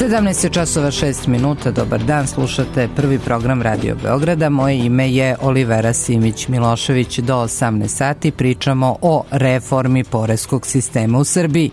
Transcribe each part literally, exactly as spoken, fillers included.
sedamnaest časova šest minuta, dobar dan, slušate prvi program Radio Beograda. Moje ime je Olivera Simić-Milošević. Do osamnaest sati pričamo o reformi poreskog sistema u Srbiji.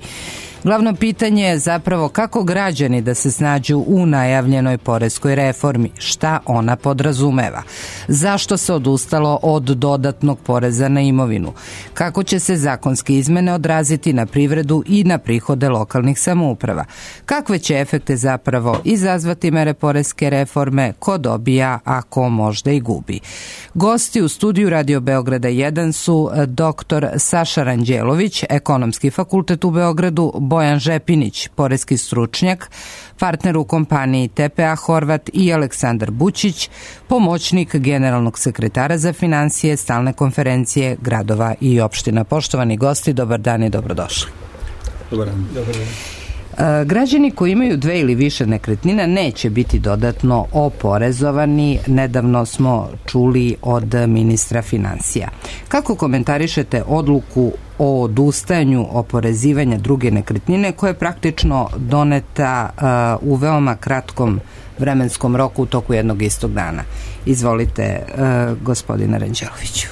Glavno pitanje je zapravo kako građani da se snađu u najavljenoj poreskoj reformi, šta ona podrazumeva, zašto se odustalo od dodatnog poreza na imovinu, kako će se zakonske izmene odraziti na privredu i na prihode lokalnih samouprava, kakve će efekte zapravo izazvati mere poreske reforme, ko dobija, a ko možda i gubi. Gosti u studiju Radio Beograda jedan su doktor Saša Ranđelović, Ekonomski fakultet u Beogradu, Bojan Žepinić, poreski stručnjak, partner u kompaniji T P A Horvat i Aleksandar Bućić, pomoćnik generalnog sekretara za finansije Stalne konferencije gradova i opština. Poštovani gosti, dobar dan i dobrodošli. Dobar dan. Dobar dan. Građani koji imaju dve ili više nekretnina neće biti dodatno oporezovani. Nedavno smo čuli od ministra finansija. Kako komentarišete odluku o odustajanju oporezivanja druge nekretnine koja je praktično doneta uh, u veoma kratkom vremenskom roku u toku jednog istog dana? Izvolite, uh, gospodine Ranđeloviću.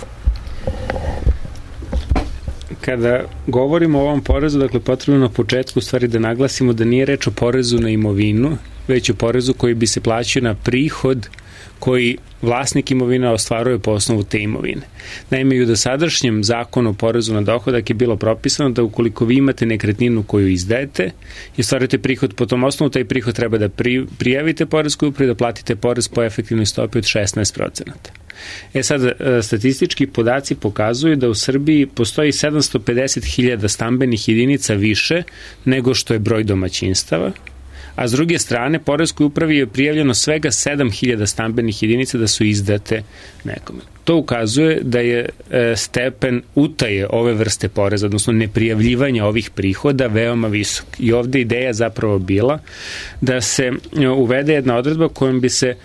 Kada govorimo o ovom porezu, dakle, potrebno na početku stvari da naglasimo da nije reč o porezu na imovinu, već o porezu koji bi se plaćao na prihod koji vlasnik imovina ostvaruje po osnovu te imovine. Naime, i u dosadašnjem zakonu o porezu na dohodak je bilo propisano da ukoliko vi imate nekretninu koju izdajete i ostvarujete prihod po tom osnovu, taj prihod treba da pri, prijavite poreskoj upravi, da platite porez po efektivnoj stopi od šesnaest procenata. E sad, statistički podaci pokazuju da u Srbiji postoji sedamsto pedeset hiljada stambenih jedinica više nego što je broj domaćinstava, a s druge strane, poreskoj upravi je prijavljeno svega sedam hiljada stambenih jedinica da su izdate nekome. To ukazuje da je stepen utaje ove vrste poreza, odnosno neprijavljivanja ovih prihoda, veoma visok. I ovde ideja zapravo bila da se uvede jedna odredba kojom bi se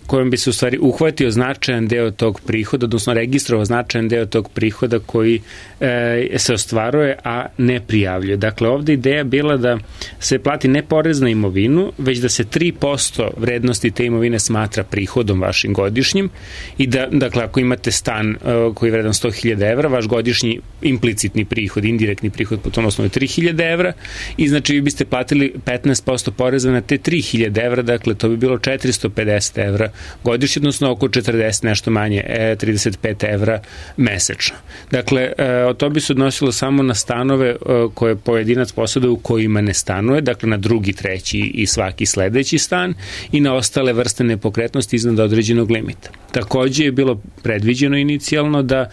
kojom bi se u stvari uhvatio značajan deo tog prihoda, odnosno registrovao značajan deo tog prihoda koji e, se ostvaruje, a ne prijavljuje. Dakle, ovde ideja bila da se plati ne porez na imovinu, već da se tri posto vrednosti te imovine smatra prihodom vašim godišnjim i da, dakle, ako imate stan e, koji je vredan sto hiljada evra, vaš godišnji implicitni prihod, indirektni prihod po tom osnovu je tri hiljade evra i znači vi biste platili petnaest posto poreza na te tri hiljade evra, dakle, to bi bilo četiristo pedeset evra godišnje, odnosno oko četrdeset nešto manje, trideset pet evra mesečno. Dakle, to bi se odnosilo samo na stanove koje pojedinac posjeduje u kojima ne stanuje, dakle na drugi, treći i svaki sledeći stan i na ostale vrste nepokretnosti iznad određenog limita. Takođe je bilo predviđeno inicijalno da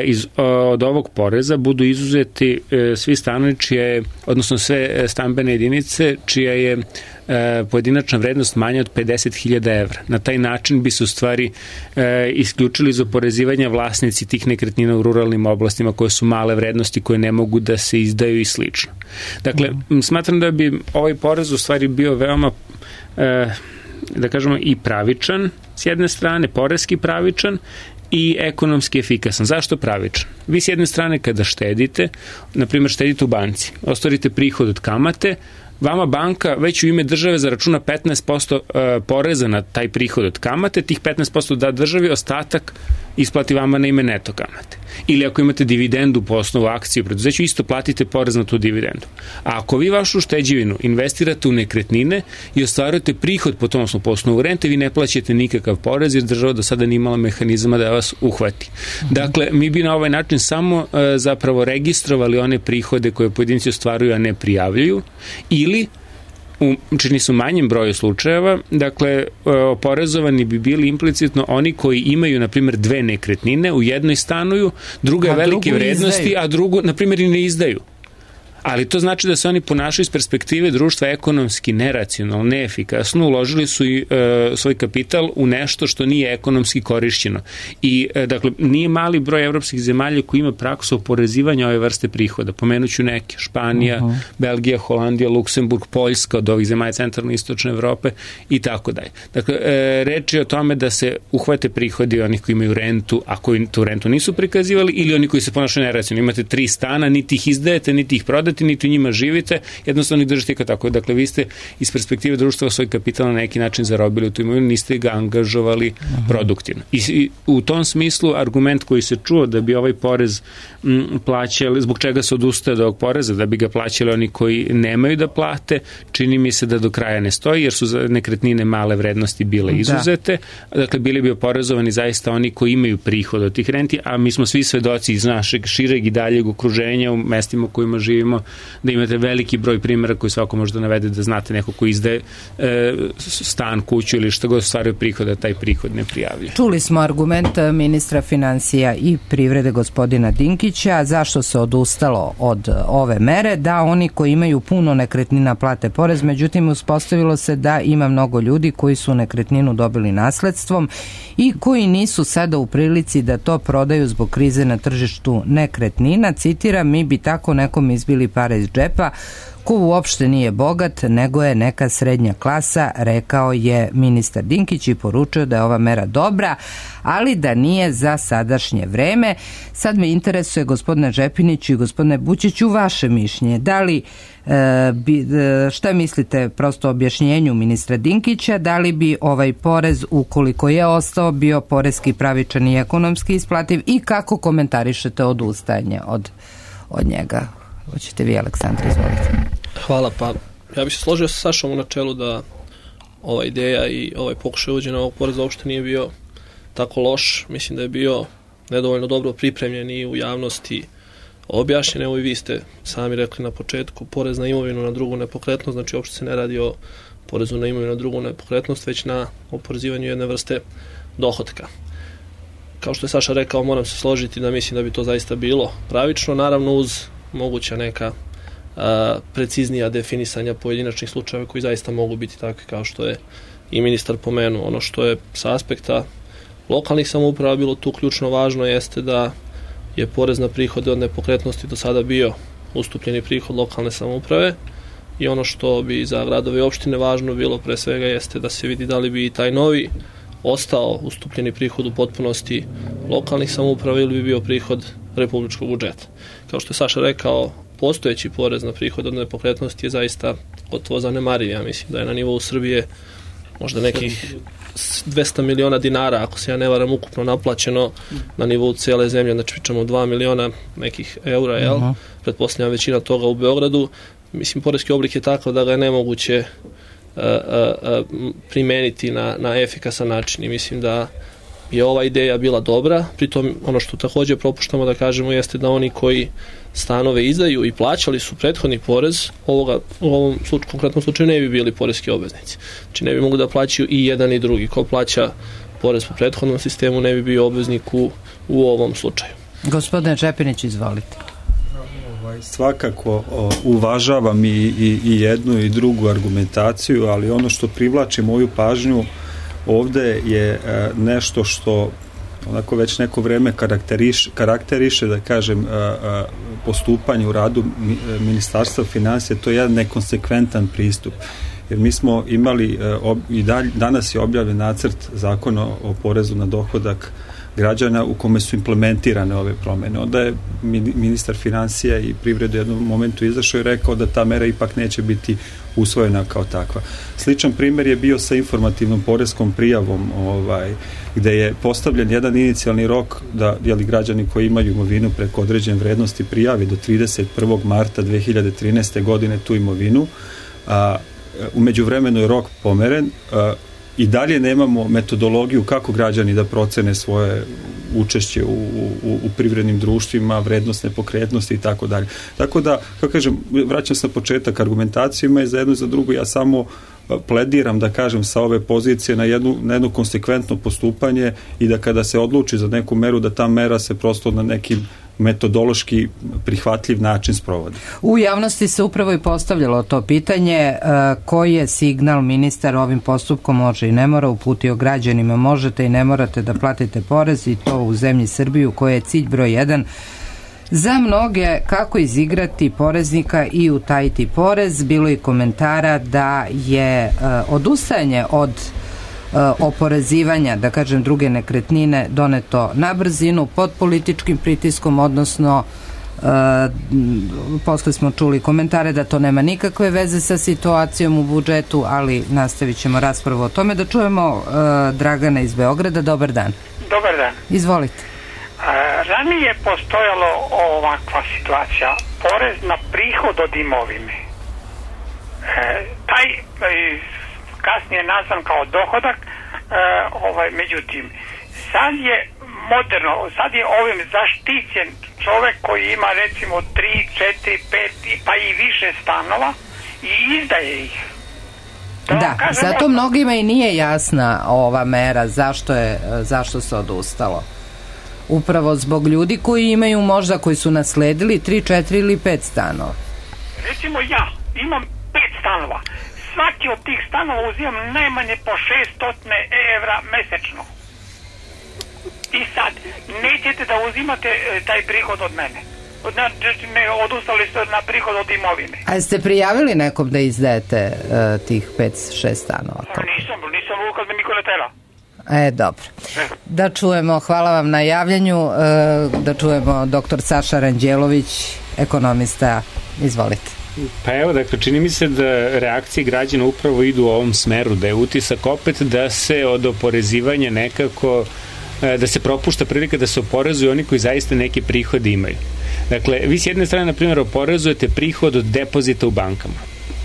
iz, od ovog poreza budu izuzeti svi stanovi čije, odnosno sve stambene jedinice čija je pojedinačna vrednost manja od pedeset hiljada evra. Na taj način bi se u stvari e, isključili iz oporezivanja vlasnici tih nekretnina u ruralnim oblastima koje su male vrednosti, koje ne mogu da se izdaju i slično. Dakle, mm. smatram da bi ovaj porez u stvari bio veoma e, da kažemo i pravičan, s jedne strane poreski pravičan i ekonomski efikasan. Zašto pravičan? Vi s jedne strane kada štedite, na primjer štedite u banci, ostvarite prihod od kamate, vama banka već u ime države zaračuna petnaest posto poreza na taj prihod od kamate, tih petnaest posto da državi, ostatak isplati vama na ime neto kamate. Ili ako imate dividendu po osnovu akcije u preduzeću, isto platite porez na tu dividendu. A ako vi vašu šteđevinu investirate u nekretnine i ostvarujete prihod po tom osnovu, po osnovu rente, vi ne plaćate nikakav porez jer država do sada nije imala mehanizama da vas uhvati. Dakle, mi bi na ovaj način samo e, zapravo registrovali one prihode koje pojedinci ostvaruju, a ne prijavljuju, ili u čini su manjem broju slučajeva, dakle, oporezovani bi bili implicitno oni koji imaju, na primjer, dve nekretnine, u jednoj stanuju, druga je velike vrednosti, izdaju. A drugu, na primjer, i ne izdaju. Ali to znači da se oni ponašaju iz perspektive društva ekonomski neracionalno, neefikasno, uložili su i e, svoj kapital u nešto što nije ekonomski korišćeno. I, e, dakle, nije mali broj evropskih zemalja koji ima praksu oporezivanja ove vrste prihoda. Pomenuću neke, Španija, uh-huh. Belgija, Holandija, Luksemburg, Poljska od ovih zemalja centralne i istočne Evrope i tako dalje. Dakle, e, reč je o tome da se uhvate prihodi onih koji imaju rentu, a koji tu rentu nisu prikazivali, ili oni koji se ponašaju neracionalno. Imate tri stana, niti ih izdajete, niti ih prodate, imate, niti u njima živite, jednostavno ih držite kao tako. Dakle, vi ste iz perspektive društva svoj kapital na neki način zarobili u tu imovinu, niste ga angažovali uh-huh. produktivno. I, I u tom smislu argument koji se čuo da bi ovaj porez m, plaćali, zbog čega se odustaje od ovog poreza, da bi ga plaćali oni koji nemaju da plate, čini mi se da do kraja ne stoji, jer su nekretnine male vrednosti bile izuzete. Da. Dakle, bili bi oporezovani zaista oni koji imaju prihod od tih renti, a mi smo svi svedoci iz našeg šireg i daljeg okruženja u mestima u kojima živimo, da imate veliki broj primjera koji svako može da navede, da znate neko ko izdaje e, stan, kuću ili što god stvaraju prihoda, taj prihod ne prijavlja. Čuli smo argument ministra financija i privrede gospodina Dinkića, zašto se odustalo od ove mere, da oni koji imaju puno nekretnina plate porez, međutim uspostavilo se da ima mnogo ljudi koji su nekretninu dobili nasledstvom i koji nisu sada u prilici da to prodaju zbog krize na tržištu nekretnina. Citiram, mi bi tako nekom izbili pare iz džepa ko uopšte nije bogat, nego je neka srednja klasa, rekao je ministar Dinkić i poručio da je ova mera dobra, ali da nije za sadašnje vreme. Sad me interesuje, gospodine Žepiniću i gospodine Bućiću, vaše mišljenje. Da li, e, bi, e, šta mislite prosto o objašnjenju ministra Dinkića, da li bi ovaj porez, ukoliko je ostao, bio porezki pravičan i ekonomski isplativ i kako komentarišete odustajanje od, od njega? Hoćete vi, Aleksandra, izvolite. Hvala, pa ja bih se složio sa Sašom u načelu da ova ideja i ovaj pokušaj uvođenja ovog poreza uopšte nije bio tako loš. Mislim da je bio nedovoljno dobro pripremljen i u javnosti objašnjen. Evo i vi ste sami rekli na početku, porez na imovinu na drugu nepokretnost, znači uopšte se ne radi o porezu na imovinu na drugu nepokretnost, već na oporezivanju jedne vrste dohotka. Kao što je Saša rekao, moram se složiti da mislim da bi to zaista bilo pravično, naravno uz moguća neka a, preciznija definisanja pojedinačnih slučajeva koji zaista mogu biti takvi kao što je i ministar pomenuo. Ono što je sa aspekta lokalnih samouprava bilo tu ključno važno jeste da je porez na prihode od nepokretnosti do sada bio ustupljeni prihod lokalne samouprave i ono što bi za gradove i opštine važno bilo pre svega jeste da se vidi da li bi i taj novi ostao ustupljeni prihod u potpunosti lokalnih samouprava ili bi bio prihod republičkog budžeta. Kao što je Saša rekao, postojeći porez na prihod od nepokretnosti je zaista gotovo zanemariv. Ja mislim da je na nivou Srbije možda nekih dvesta miliona dinara, ako se ja ne varam, ukupno naplaćeno na nivou cijele zemlje, znači pričamo dva miliona nekih eura, jel? Uh-huh. Pretpostavljam većina toga u Beogradu. Mislim, porezki oblik je takav da ga je nemoguće uh, uh, uh, primeniti na, na efikasan način i mislim da je ova ideja bila dobra. Pritom ono što također propuštamo da kažemo jeste da oni koji stanove izdaju i plaćali su prethodni porez, ovoga, u ovom slučaju, konkretnom slučaju ne bi bili poreski obveznici. Znači ne bi mogli da plaćaju i jedan i drugi. Ko plaća porez po prethodnom sistemu ne bi bio obveznik u, u ovom slučaju. Gospodine Čepinić, izvolite. Svakako uvažavam i, i, i jednu i drugu argumentaciju, ali ono što privlači moju pažnju ovde je nešto što onako već neko vreme karakteriš, karakteriše, da kažem, postupanje u radu Ministarstva financija, to je jedan nekonsekventan pristup. Jer mi smo imali, i dalj, danas je objavljen nacrt zakona o porezu na dohodak građana u kome su implementirane ove promene. Onda je ministar financija i privrede u jednom momentu izašao i rekao da ta mera ipak neće biti usvojena kao takva. Sličan primjer je bio sa informativnom poreskom prijavom, ovaj, gde je postavljen jedan inicijalni rok da jeli, građani koji imaju imovinu preko određene vrednosti prijavi do trideset prvog marta dve hiljade trinaeste. godine tu imovinu. A, u međuvremenu je rok pomeren. A, I dalje nemamo metodologiju kako građani da procene svoje učešće u, u, u privrednim društvima, vrednost nepokretnosti i tako dalje. Tako da, kako kažem, vraćam se na početak argumentacijama i za jedno i za drugo, ja samo plediram, da kažem, sa ove pozicije na jednu, na jedno konsekventno postupanje i da kada se odluči za neku meru, da ta mera se prosto na nekim metodološki prihvatljiv način sprovodi. U javnosti se upravo i postavljalo to pitanje, koji je signal ministar ovim postupkom može i ne mora uputio građanima, možete i ne morate da platite porez i to u zemlji Srbiju koja je cilj broj jedan za mnoge, kako izigrati poreznika i utajiti porez. Bilo i komentara da je odustajanje od oporezivanja, da kažem, druge nekretnine doneto na brzinu pod političkim pritiskom, odnosno Posle smo čuli komentare da to nema nikakve veze sa situacijom u budžetu, ali nastavit ćemo raspravu o tome. Da čujemo Dragana iz Beograda. Dobar dan. Dobar dan. Izvolite. Ranije je postojalo ovakva situacija, porez na prihod od imovine. Taj kasnije nazvan kao dohodak, međutim, sad je moderno, sad je ovim zaštićen čovek koji ima recimo tri, četiri, pet pa i više stanova i izdaje ih. Da, da zato od... mnogima i nije jasna ova mera, zašto je, zašto se odustalo. Upravo zbog ljudi koji imaju možda, koji su nasledili tri, četiri ili pet stanova. Recimo ja imam pet stanova. Svaki od tih stanova uzimam najmanje po šesto evra mesečno. I sad, nećete da uzimate taj prihod od mene. Ne, odustali ste na prihod od imovine. A jeste prijavili nekom da izdajete uh, tih pet šest stanova? A, nisam, nisam kad me niko ne tela. E, dobro. Da čujemo, hvala vam na javljanju, uh, da čujemo doktor Saša Ranđelović, ekonomista. Izvolite. Pa evo, dakle, čini mi se da reakcije građana upravo idu u ovom smeru, da je utisak opet da se od oporezivanja nekako, da se propušta prilika da se oporezuju oni koji zaista neke prihode imaju. Dakle, vi s jedne strane, na primjer, oporezujete prihod od depozita u bankama.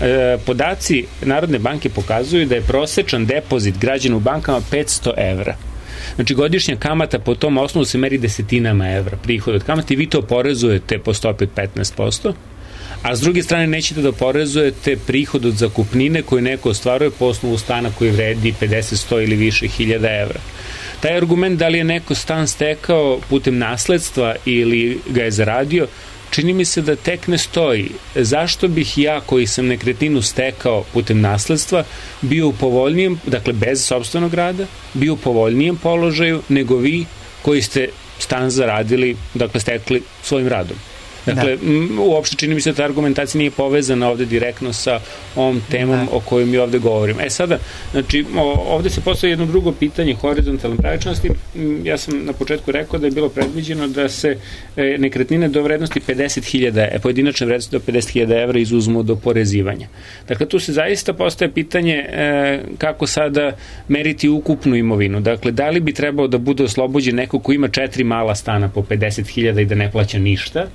E, podaci Narodne banke pokazuju da je prosečan depozit građana u bankama petsto evra. Znači, godišnja kamata po tom osnovu se meri desetinama evra prihod od kamata i vi to oporezujete po stopi od petnaest posto. A s druge strane nećete da oporezujete prihod od zakupnine koju neko ostvaruje po osnovu stana koji vredi pedeset, sto ili više hiljada evra. Taj argument da li je neko stan stekao putem nasledstva ili ga je zaradio, čini mi se da tek ne stoji. Zašto bih ja koji sam nekretninu stekao putem nasledstva bio u povoljnijem, dakle bez sopstvenog rada, bio u povoljnijem položaju nego vi koji ste stan zaradili, dakle stekli svojim radom. Dakle, da. Uopšte čini mi se da ta argumentacija nije povezana ovde direktno sa ovom temom da. O kojoj mi ovde govorimo. E sada, znači, ovde se postoji jedno drugo pitanje horizontalne pravičnosti. Ja sam na početku rekao da je bilo predviđeno da se nekretnine do vrednosti pedeset hiljada, pojedinačne vrednosti do pedeset hiljada evra izuzmu od oporezivanja. Dakle, tu se zaista postaje pitanje kako sada meriti ukupnu imovinu. Dakle, da li bi trebao da bude oslobođen neko ko ima četiri mala stana po pedeset hiljada i da ne plaća ništa,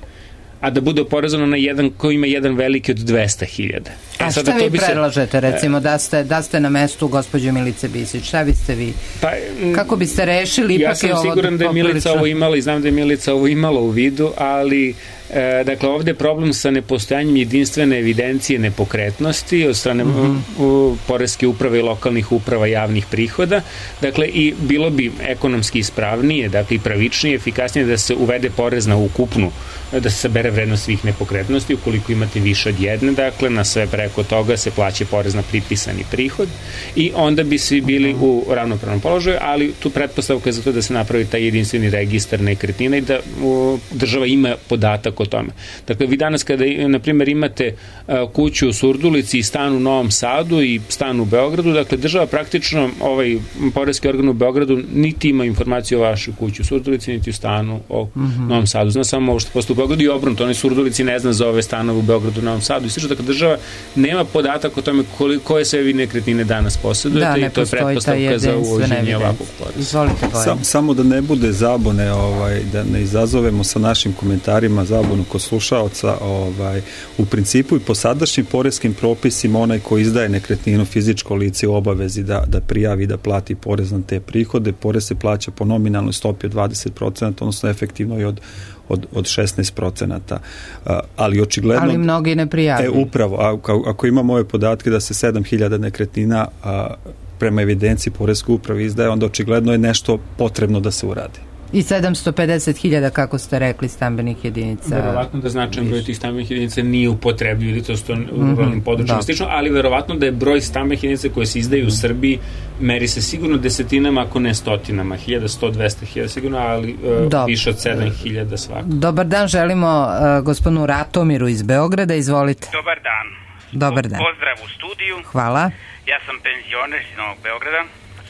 a da bude oporezano na jedan koji ima jedan veliki od dvesta hiljada. A šta vi predlažete, recimo, da ste, da ste na mestu gospođe Milice Bisić? Šta biste vi? Pa, kako biste rešili? Ipak ja sam siguran da je Milica ovo imala i znam da je Milica ovo imala u vidu, ali E, dakle, ovde je problem sa nepostojanjem jedinstvene evidencije nepokretnosti od strane mm-hmm. u, poreske uprave i lokalnih uprava javnih prihoda. Dakle, i bilo bi ekonomski ispravnije, dakle, i pravičnije, efikasnije da se uvede porez na ukupnu, da se sabere vrednost svih nepokretnosti, ukoliko imate više od jedne, dakle, na sve preko toga se plaća porez na pripisani prihod i onda bi svi bili u ravnopravnom položaju, ali tu pretpostavka je za to da se napravi taj jedinstveni registar nekretnina i da u, država ima podatak o tome. Dakle, vi danas kada, na primjer, imate uh, kuću u Surdulici i stan u Novom Sadu i stan u Beogradu, dakle, država praktično, ovaj poreski organ u Beogradu niti ima informaciju o vašoj kući u Surdulici, niti u stanu o mm-hmm. Novom Sadu. Zna samo ovo što postoji u Beogradu i obrnuto. Oni Surdulici ne zna za ove stanove u Beogradu i Novom Sadu. I slično, dakle, država nema podatak o tome koje sve vi nekretnine danas posjedujete da, i to je pretpostavka za uvođenje ovakvog poreza. Sam, samo da ne bude zabune, ovaj, da ne izazovemo sa našim komentarima zabune kod slušaoca, ovaj, u principu i po sadašnjim poreskim propisima onaj ko izdaje nekretninu fizičko lice u obavezi da, da prijavi da plati porez na te prihode. Porez se plaća po nominalnoj stopi od dvadeset procenata, odnosno efektivno i od od, od šesnaest procenata. Ali očigledno... Ali mnogi ne prijavljaju. E, upravo. Ako, ako imamo ove podatke da se sedam hiljada nekretnina a, prema evidenciji poreske uprave izdaje, onda očigledno je nešto potrebno da se uradi. I sedamsto pedeset hiljada, kako ste rekli, stambenih jedinica. Verovatno da značajan broj tih stambenih jedinica nije upotrebljiv ili to sto u ruralnim područjima slično, ali verovatno da je broj stambenih jedinica koje se izdaju u Srbiji meri se sigurno desetinama, ako ne stotinama, hiljada, sto, dvesta hiljada sigurno, ali uh, više od sedam hiljada svako. Dobar dan, želimo uh, gospodinu Ratomiru iz Beograda, izvolite. Dobar dan. Dobar dan. Pozdrav u studiju. Hvala. Ja sam penzioner iz Novog Beograda,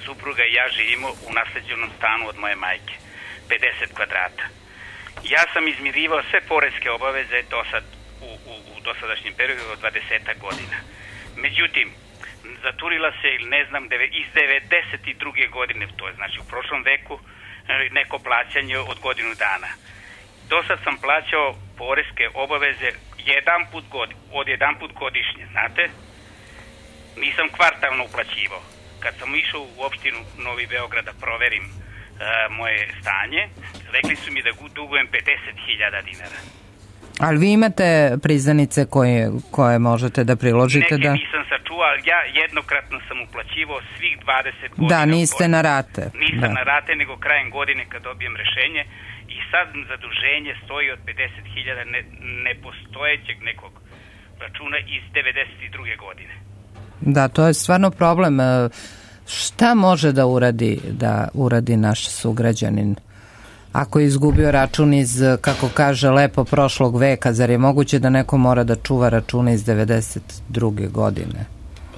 supruga i ja živimo u nasleđenom stanu od moje majke. pedeset kvadrata. Ja sam izmirivao sve poreske obaveze do sad, u, u, u dosadašnjem periodu od dvadeset godina. Međutim, zaturila se, ili ne znam, iz devedeset druge godine, to je znači u prošlom veku, neko plaćanje od godinu dana. Do sad sam plaćao poreske obaveze jedan put god, od jedan put godišnje, znate? Nisam kvartalno uplaćivao. Kad sam išao u opštinu Novi Beograd da proverim uh, moje stanje, rekli su mi da dugujem pedeset hiljada dinara. Ali vi imate priznanice koje, koje možete da priložite? Neke da... nisam sačuvao, ali ja jednokratno sam uplaćivao svih dvadeset godina. Da, niste na rate. Nisam da. na rate, nego krajem godine kad dobijem rešenje i sad zaduženje stoji od pedeset hiljada ne, nepostojećeg nekog računa iz devedeset druge godine. Da, to je stvarno problem. Šta može da uradi, da uradi naš sugrađanin? Ako je izgubio račun iz, kako kaže, lepo prošlog veka, zar je moguće da neko mora da čuva račune iz devedeset druge godine?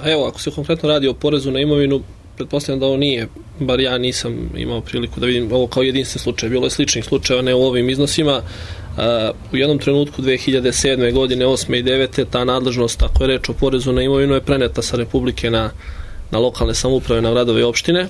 Pa evo, ako se konkretno radi o porezu na imovinu, pretpostavljam da ovo nije, bar ja nisam imao priliku da vidim ovo kao jedinstven slučaj. Bilo je sličnih slučajeva, ne u ovim iznosima. U jednom trenutku dve hiljade sedme godine, osme i devete ta nadležnost, ako je reč o porezu na imovinu, je preneta sa Republike na, na lokalne samouprave, na gradove i opštine.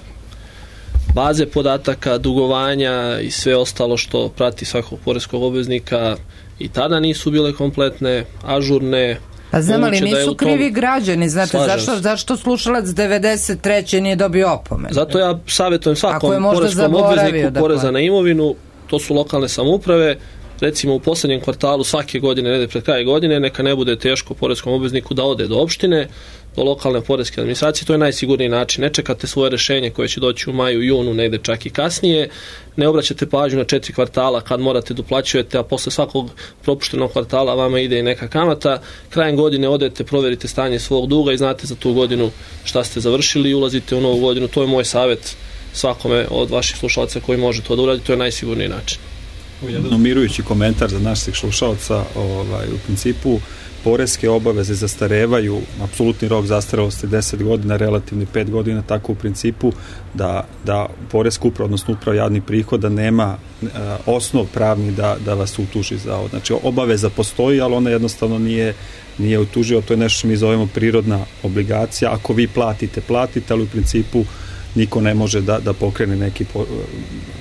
Baze podataka, dugovanja i sve ostalo što prati svakog poreskog obveznika i tada nisu bile kompletne, ažurne. A znam, ali nisu tom... krivi građani, znate, zašto, zašto slušalac devedeset treće nije dobio opomenu? Zato ja savjetujem svakom poreskom obvezniku poreza dakle. na imovinu, to su lokalne samouprave, recimo u poslednjem kvartalu svake godine, negde pred kraj godine, neka ne bude teško poreskom obvezniku da ode do opštine, do lokalne poreske administracije, to je najsigurniji način. Ne čekate svoje rešenje koje će doći u maju, junu, negde čak i kasnije, ne obraćate pažnju na četiri kvartala kad morate da uplaćujete, a posle svakog propuštenog kvartala vama ide i neka kamata. Krajem godine odete, proverite stanje svog duga i znate za tu godinu šta ste završili i ulazite u novu godinu. To je moj savjet svakome od vaših slušalaca koji može to da uradi, to je najsigurniji način. Jedan umirujući komentar za naših slušalaca, ovaj, u principu poreske obaveze zastarevaju, apsolutni rok zastarelosti deset godina, relativni pet godina, tako u principu da, da poreska uprava, odnosno uprava javnih prihoda nema uh, osnov pravni da, da vas utuži za ovo. Znači, obaveza postoji, ali ona jednostavno nije, nije utuživa, to je nešto što mi zovemo prirodna obligacija. Ako vi platite, platite, ali u principu niko ne može da, da pokrene neki po,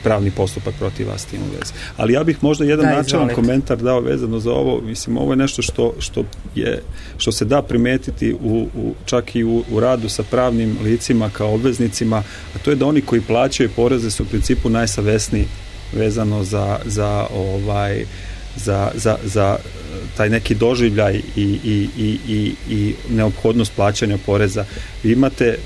pravni postupak protiv vas tim u vezi. Ali ja bih možda jedan da, načelan komentar dao vezano za ovo. Mislim, ovo je nešto što, što, je, što se da primetiti u, u, čak i u, u radu sa pravnim licima kao obveznicima, a to je da oni koji plaćaju poreze su u principu najsavesniji vezano za, za ovaj za, za, za taj neki doživljaj i, i, i, i, i neophodnost plaćanja poreza. Vi imate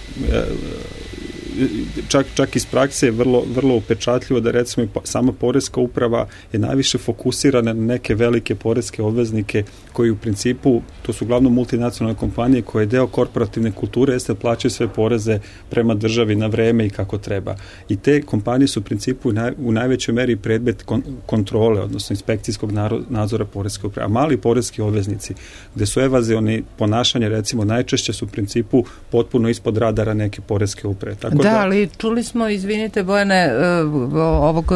čak, čak iz prakse je vrlo, vrlo upečatljivo da recimo sama poreska uprava je najviše fokusirana na neke velike poreske obveznike koji u principu, to su uglavnom multinacionalne kompanije koje je deo korporativne kulture, jeste plaćaju sve poreze prema državi na vreme i kako treba. I te kompanije su u principu u, naj, u najvećoj meri predmet kon, kontrole, odnosno inspekcijskog nadzora poreske uprave. A mali poreski obveznici, gde su evazioni ponašanje, recimo, najčešće su u principu potpuno ispod radara neke poreske uprave. Tako da, ali čuli smo, izvinite Bojane, ovog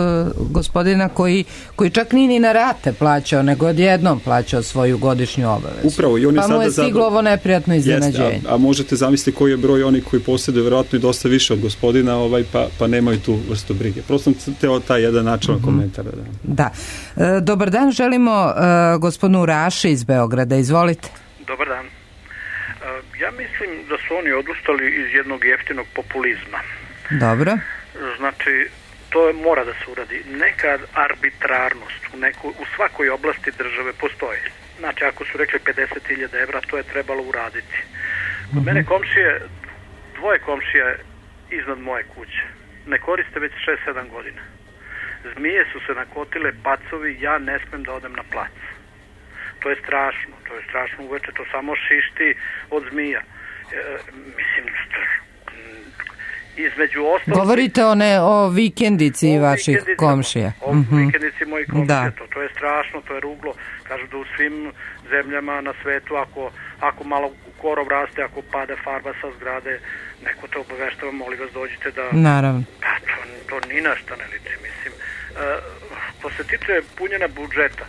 gospodina koji, koji čak nije ni na rate plaćao, nego odjednom plaćao svoju godišnju obavezu. Upravo, i on je pa sada mu je stiglo ovo neprijatno iznenađenje. Jeste, a, a možete zamisliti koji je broj oni koji posjeduju vjerojatno i dosta više od gospodina, ovaj, pa, pa nemaju tu vrstu brige. Prosto sam teo taj jedan načelan mm-hmm. komentar. Da. da. E, dobar dan, želimo e, gospodinu Raši iz Beograda. Izvolite. Dobar dan. Ja mislim da su oni odustali iz jednog jeftinog populizma. Dobro. Znači, to mora da se uradi. Neka arbitrarnost u, neku, u svakoj oblasti države postoji. Znači, ako su rekli pedeset hiljada evra, to je trebalo uraditi. Kod uh-huh. mene komšije, dvoje komšije iznad moje kuće, ne koriste već šest sedam godina. Zmije su se nakotile, pacovi, ja ne smem da odem na plac. To je strašno, to je strašno uveče, to samo šišti od zmija. E, mislim, između ostalih... Govorite o, ne, o vikendici o vaših komšija. O mm-hmm. vikendici mojih komšija, to, to je strašno, to je ruglo. Kažu da u svim zemljama na svetu, ako, ako malo korov raste, ako pada farba sa zgrade, neko te obaveštava, molim vas dođite da... Naravno. Pa to, to ni na šta ne liči, mislim. E, Što se tiče punjenja budžeta,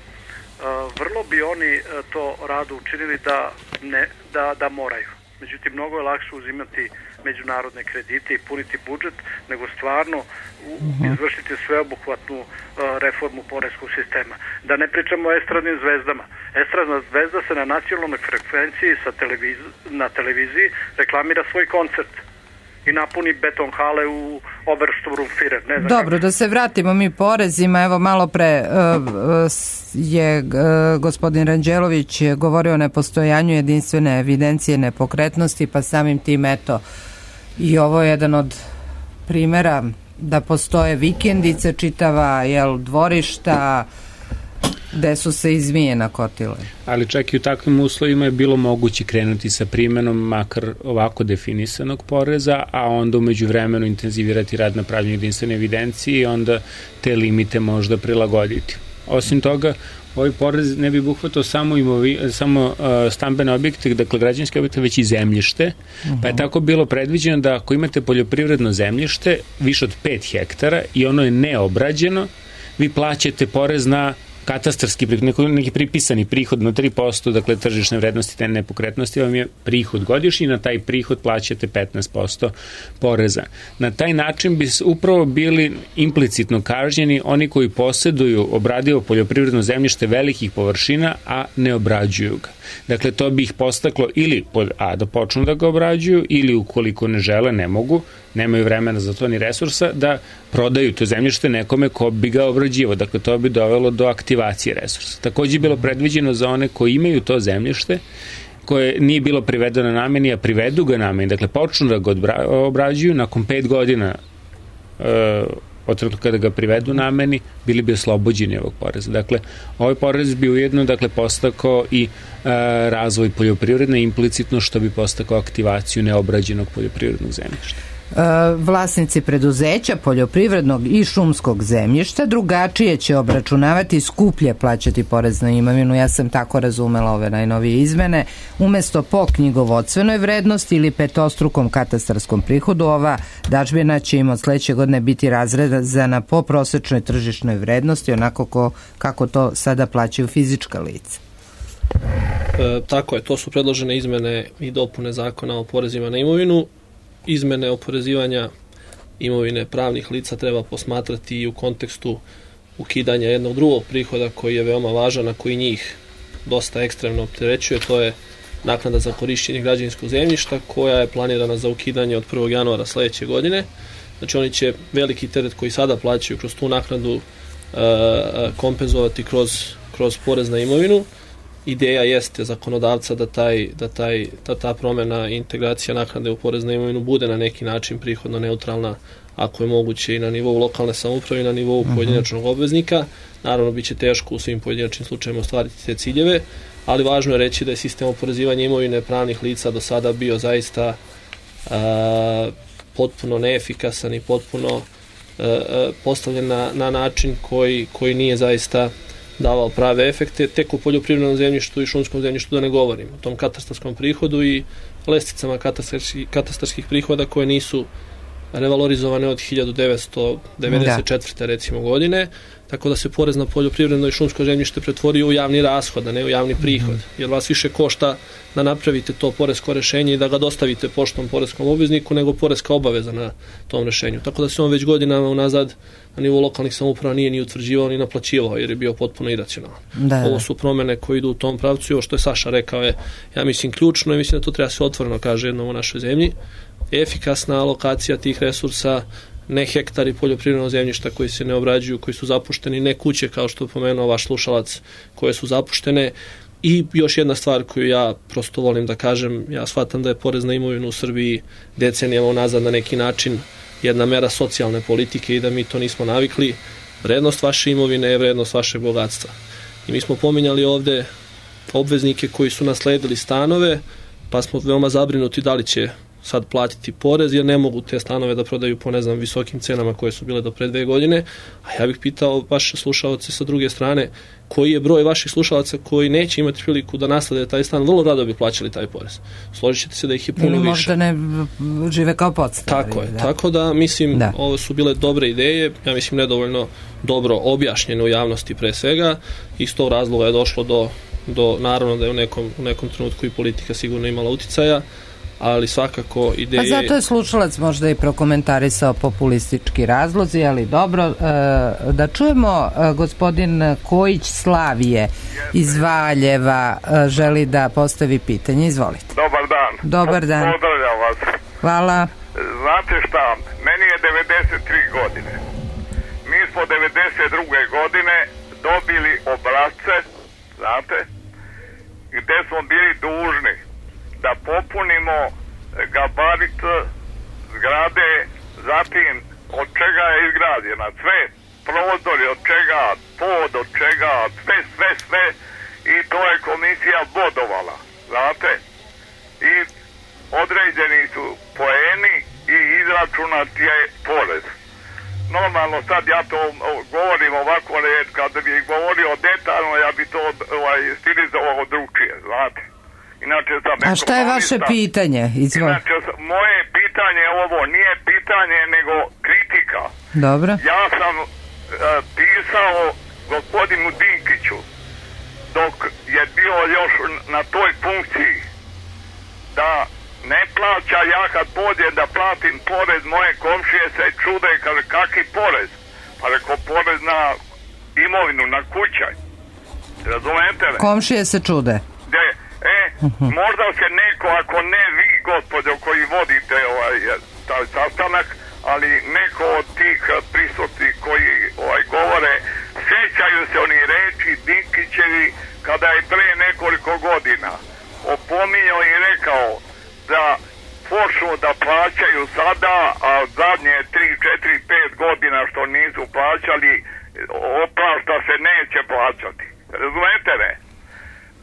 vrlo bi oni to rado učinili da, ne, da, da moraju. Međutim, mnogo je lakše uzimati međunarodne kredite i puniti budžet, nego stvarno izvršiti sveobuhvatnu reformu poreskog sistema. Da ne pričamo o estradnim zvezdama. Estradna zvezda se na nacionalnoj frekvenciji sa televiz na televiziji reklamira svoj koncert i napuni beton hale u Obersturmführer. Ne znam Dobro, kako. Da se vratimo mi porezima. Evo, malo pre uh, je uh, gospodin Ranđelović govorio o nepostojanju jedinstvene evidencije nepokretnosti, pa samim tim, eto, i ovo je jedan od primera da postoje vikendice, čitava, jel, dvorišta, gde su se i zmije nakotile. Ali čak i u takvim uslovima je bilo moguće krenuti sa primenom makar ovako definisanog poreza, a onda umeđu vremenu intenzivirati rad na pravljenju jedinstvene evidencije i onda te limite možda prilagoditi. Osim toga, ovaj porez ne bi buhvatao samo, imovi, samo uh, stambene objekte, dakle građanske objekte, već i zemljište, uh-huh. pa je tako bilo predviđeno da ako imate poljoprivredno zemljište više od pet hektara i ono je neobrađeno, vi plaćate porez na katastarski prihod, neki, neki pripisani prihod na tri posto, dakle tržišne vrednosti te nepokretnosti vam je prihod godišnji, na taj prihod plaćate petnaest posto poreza. Na taj način bi upravo bili implicitno kažnjeni oni koji poseduju obradivo poljoprivredno zemljište velikih površina, a ne obrađuju ga. Dakle, to bi ih postaklo ili pod A da počnu da ga obrađuju, ili ukoliko ne žele, ne mogu, nemaju vremena za to ni resursa, da prodaju to zemljište nekome ko bi ga obrađivo. Dakle, to bi dovelo do aktivacije resursa. Takođe je bilo predviđeno za one koji imaju to zemljište, koje nije bilo privedeno nameni, a privedu ga nameni, dakle, počnu da ga obrađuju, nakon pet godina e, od trenutka kada ga privedu nameni, bili bi oslobođeni ovog poreza. Dakle, ovaj porez bi ujedno, dakle, postakao i e, razvoj poljoprivredne, implicitno što bi postakao aktivaciju neobrađenog poljoprivrednog zemljišta. Vlasnici preduzeća poljoprivrednog i šumskog zemljišta drugačije će obračunavati, skuplje plaćati porez na imovinu. Ja sam tako razumela ove najnovije izmene. Umesto po knjigovodstvenoj vrednosti ili petostrukom katastarskom prihodu, ova dažbina će im od sledeće godine biti razrezana po prosečnoj tržišnoj vrednosti, onako ko, kako to sada plaćaju fizička lica. E, tako je, to su predložene izmene i dopune zakona o porezima na imovinu. Izmene oporezivanja imovine pravnih lica treba posmatrati i u kontekstu ukidanja jednog drugog prihoda koji je veoma važan, a koji njih dosta ekstremno opterećuje, to je naknada za korišćenje građevinskog zemljišta koja je planirana za ukidanje od prvog januara sledeće godine. Znači oni će veliki teret koji sada plaćaju kroz tu naknadu e, kompenzovati kroz, kroz porez na imovinu. Ideja jeste zakonodavca da, taj, da, taj, da ta promena i integracija naknade u porez na imovinu bude na neki način prihodno neutralna, ako je moguće i na nivou lokalne samouprave i na nivou pojedinačnog obveznika. Naravno, bit će teško u svim pojedinačnim slučajima ostvariti te ciljeve, ali važno je reći da je sistem oporezivanja imovine pravnih lica do sada bio zaista a, potpuno neefikasan i potpuno a, a, postavljen na, na način koji, koji nije zaista davao prave efekte, tek u poljoprivrednom zemljištu i šumskom zemljištu da ne govorim, o tom katastarskom prihodu i lesticama katastarskih, katastarskih prihoda koje nisu revalorizovane od hiljadu devetsto devedeset četvrte. Da. recimo godine, tako da se porez na poljoprivredno i šumsko zemljište pretvorio u javni rashod, a ne u javni prihod, jer vas više košta da napravite to poresko rešenje i da ga dostavite poštom poreskom obvezniku, nego poreska obaveza na tom rešenju. Tako da se on već godinama unazad na nivou lokalnih samouprava nije ni utvrđivao ni naplaćivao, jer je bio potpuno iracionalan. Da, Ovo su promene koje idu u tom pravcu i ovo što je Saša rekao je, ja mislim, ključno i mislim da to treba se otvoreno kaže jednom u našoj zemlji. Efikasna alokacija tih resursa, ne hektari poljoprivrednog zemljišta koji se ne obrađuju, koji su zapušteni, ne kuće kao što je pomenuo vaš slušalac koje su zapuštene. I još jedna stvar koju ja prosto volim da kažem, ja shvatam da je porez na imovinu u Srbiji decenijama unazad na neki način jedna mera socijalne politike i da mi to nismo navikli. Vrednost vaše imovine je vrednost vašeg bogatstva. I mi smo pominjali ovde obveznike koji su nasledili stanove, pa smo veoma zabrinuti da li će sad platiti porez jer ne mogu te stanove da prodaju po ne znam visokim cenama koje su bile do pre dve godine, a ja bih pitao vaše slušalce sa druge strane koji je broj vaših slušalaca koji neće imati priliku da naslede taj stan, vrlo rado bi plaćali taj porez. Složit ćete se da ih je puno više. Ili možda ne žive kao podstari. Tako je, da. Tako da mislim da. Ovo su bile dobre ideje, ja mislim nedovoljno dobro objašnjene u javnosti pre svega, iz tog razloga je došlo do, do naravno da je u nekom, u nekom trenutku i politika sigurno imala uticaja, ali svakako ideje... Pa zato je slušalac možda i prokomentarisao populistički razlozi, ali dobro, e, da čujemo e, gospodin Kojić Slavije iz Valjeva e, želi da postavi pitanje, izvolite. Dobar dan. Dobar dan. Pozdravljam vas. Hvala. Znate šta, meni je devedeset tri godine. Mi smo devedeset druge godine dobili obrazce, znate, gde smo bili dužni da popunimo gabarit zgrade, zatim od čega je izgrađena, sve prozori, od čega pod, od čega sve, sve, sve i to je komisija bodovala, znate, i određeni su poeni i izračunat je porez. Normalno sad ja to govorim ovako, kad bi govorio detaljno, ja bi to ovaj, stilizovao drugčije, znate. Inače, a šta je vaše pitanje? Izvoli. Inače, moje pitanje je ovo, nije pitanje, nego kritika. Dobro. Ja sam uh, pisao gospodinu Dinkiću, dok je bio još na toj funkciji, da ne plaća, ja kad pođem da platim porez, moje komšije se čude, kaže, kaki porez? Pa reko, porez na imovinu, na kućaj. Razumete li? Komšije se čude. De, E, uh-huh. možda se neko, ako ne vi, gospođo, koji vodite ovaj, taj sastanak, ali neko od tih prisutnih koji ovaj, govore, sjećaju se oni reči Dinkićevi kada je pre nekoliko godina opominjao i rekao da počnu da plaćaju sada, a zadnje tri, četiri, pet godina što nisu plaćali, oprašta se neće plaćati. Razumete me?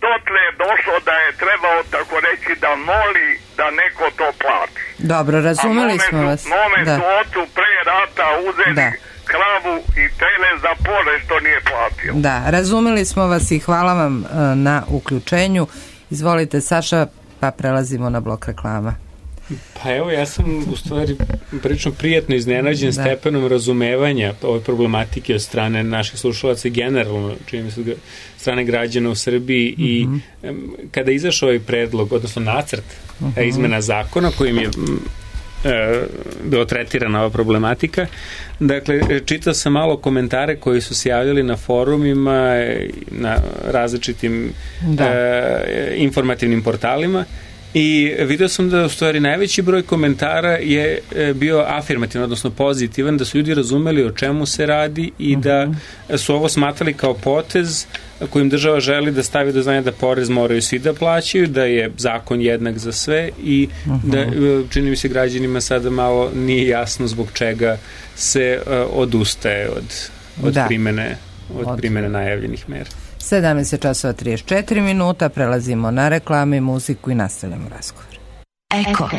Dotle je došlo da je trebao tako reći da moli da neko to plati. Dobro, razumeli smo su, vas. Mome da. su ocu pre rata uzeli da. kravu i tele za porez što nije platio. Da, razumeli smo vas i hvala vam uh, na uključenju. Izvolite, Saša, pa prelazimo na blok reklama. Pa evo, ja sam u stvari prilično prijatno iznenađen da. stepenom razumevanja ove problematike od strane naših slušalaca i generalno, čini mi se, strane građana u Srbiji mm-hmm. i um, kada je izašao ovaj predlog, odnosno nacrt mm-hmm. izmena zakona kojim je e, bilo tretirana ova problematika, dakle, čitao sam malo komentare koji su se javljali na forumima, na različitim da. e, informativnim portalima. I vidio sam da u stvari najveći broj komentara je bio afirmativan, odnosno pozitivan, da su ljudi razumeli o čemu se radi i da su ovo smatrali kao potez kojim država želi da stavi do znanja da porez moraju svi da plaćaju, da je zakon jednak za sve i da, čini mi se, građanima sada malo nije jasno zbog čega se odustaje od, od, da. primene, od, od primene najavljenih mera. sedamnaest časova trideset četiri minuta, prelazimo na reklame, muziku i nastavljamo razgovor. Eko.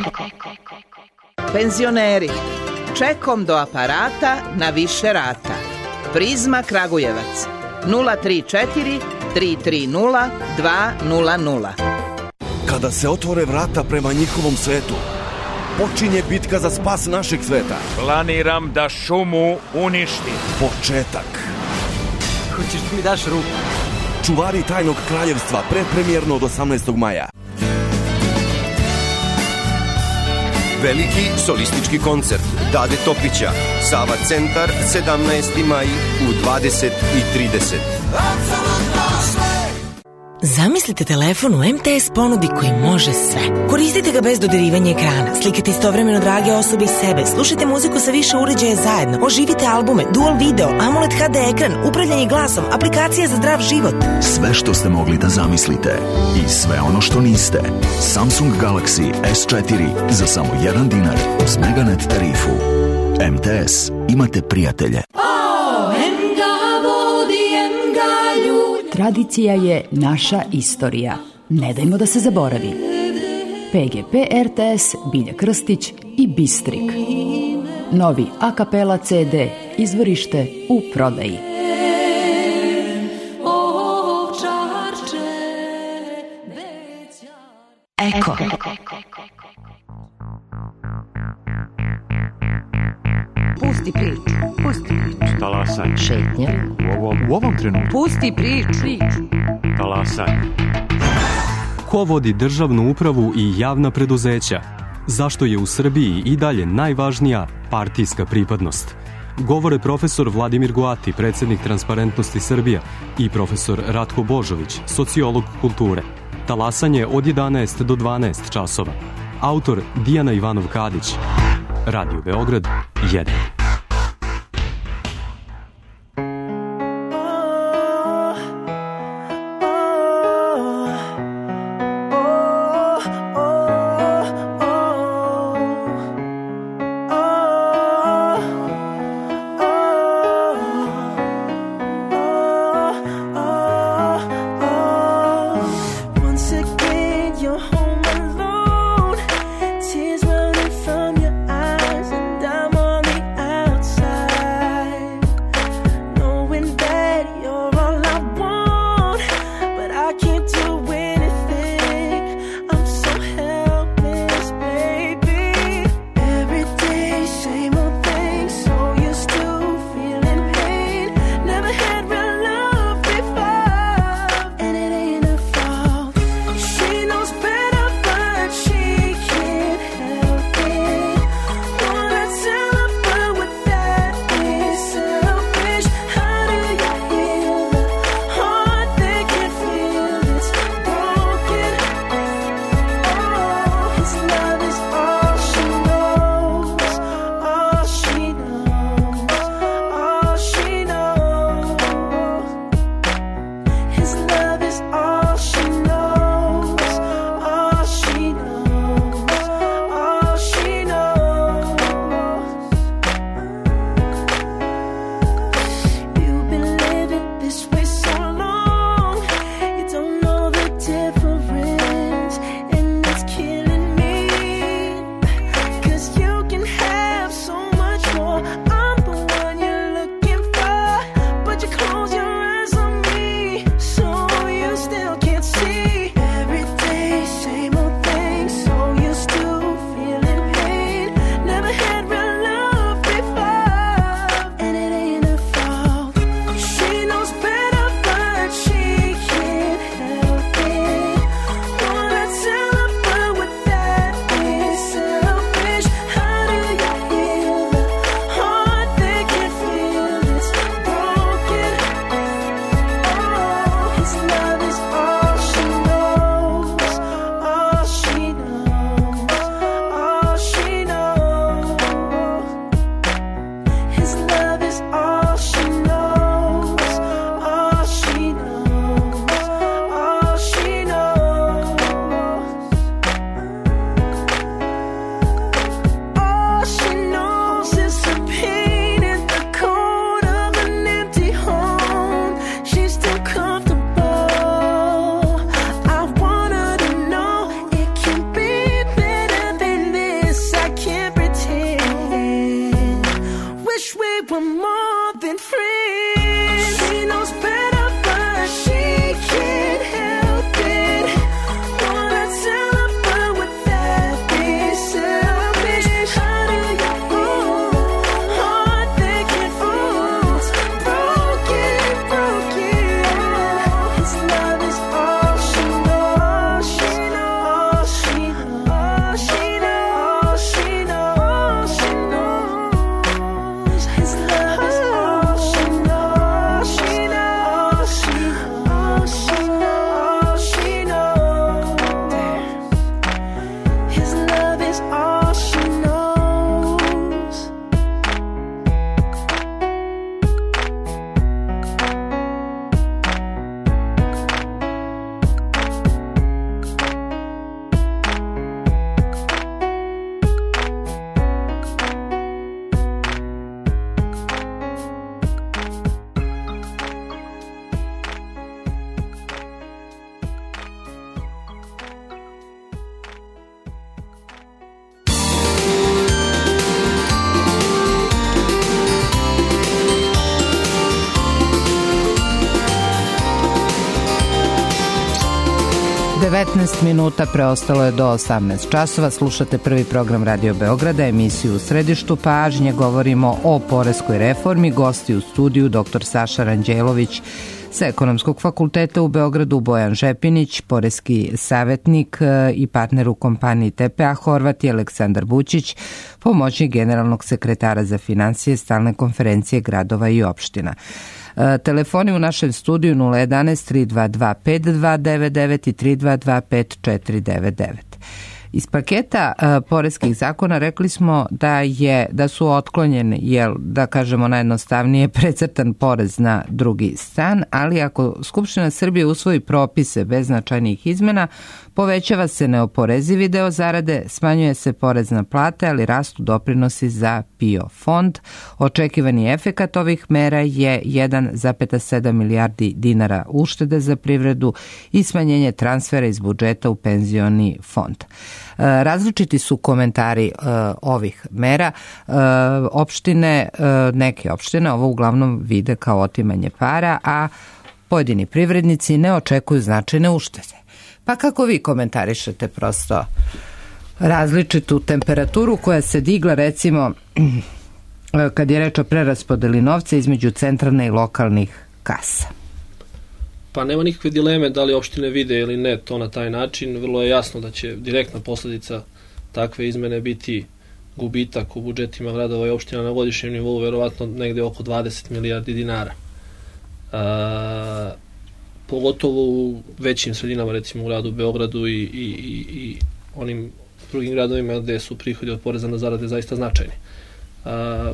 Penzioneri, čekom do aparata na više rata. Prizma Kragujevac, nula tri četiri tri tri nula dva nula nula. Kada se otvore vrata prema njihovom svetu, počinje bitka za spas našeg sveta. Planiram da šumu uništim. Početak. Hoćeš da mi daš ruku? Čuvari tajnog kraljevstva, prepremjerno od osamnaestog maja. Veliki solistički koncert Dade Topića, Sava centar, sedamnaesti maj u dvadeset i trideset. Zamislite telefon u em te es ponudi koji može sve. Koristite ga bez dodirivanja ekrana, slikate istovremeno drage osobe i sebe, slušajte muziku sa više uređaja zajedno, oživite albume, dual video, AMOLED ha de ekran, upravljanje glasom, aplikacija za zdrav život. Sve što ste mogli da zamislite i sve ono što niste. Samsung Galaxy es četiri za samo jedan dinar uz Meganet tarifu. em te es, imate prijatelje. Tradicija je naša istorija. Ne dajmo da se zaboravi. P G P R T S, Bilja Krstić i Bistrik. Novi a kapela C D, izvorište u prodaji. Eko. Pusti priču, pusti priču. Talasaj. Šetnja. U ovom, u ovom trenutku. Pusti priču. Talasaj. Ko vodi državnu upravu i javna preduzeća? Zašto je u Srbiji i dalje najvažnija partijska pripadnost? Govore profesor Vladimir Goati, predsjednik Transparentnosti Srbija, i profesor Ratko Božović, sociolog kulture. Talasanje od jedanaest do dvanaest časova. Autor Dijana Ivanov-Kadić. Radio Beograd jedan. devetnaest minuta, preostalo je do osamnaest časova. Slušate prvi program Radio Beograda, emisiju U središtu pažnje. Govorimo o poreskoj reformi. Gosti u studiju dr. Saša Ranđelović sa Ekonomskog fakulteta u Beogradu, Bojan Žepinić, poreski savjetnik i partner u kompaniji T P A Horvat, i Aleksandar Bućić, pomoćnik generalnog sekretara za finansije Stalne konferencije gradova i opština. Telefoni u našem studiju nula jedanaest tri dva dva pet dva devet devet i tri dva dva pet četiri devet devet. Iz paketa uh, poreskih zakona rekli smo da je da su otklonjeni, jel, da kažemo najjednostavnije, precrtan porez na drugi stan, ali ako Skupština Srbije usvoji propise bez značajnih izmena, povećava se neoporezivi deo zarade, smanjuje se porez na plate, ali rastu doprinosi za P I O fond. Očekivani efekat ovih mera je jedan zarez sedam milijardi dinara uštede za privredu i smanjenje transfera iz budžeta u penzioni fond. Različiti su komentari uh, ovih mera. Uh, opštine, uh, neke opštine ovo uglavnom vide kao otimanje para, a pojedini privrednici ne očekuju značajne uštede. Pa kako vi komentarišete prosto različitu temperaturu koja se digla, recimo kad je reč o preraspodeli novca između centralne i lokalnih kasa? Pa nema nikakve dileme da li opštine vide ili ne to na taj način. Vrlo je jasno da će direktna posljedica takve izmene biti gubitak u budžetima gradova i opština na godišnjem nivou, verovatno negde oko dvadeset milijardi dinara. A, pogotovo u većim sredinama, recimo u gradu Beogradu i, i, i, i onim drugim gradovima gde su prihodi od poreza na zarade zaista značajni. A,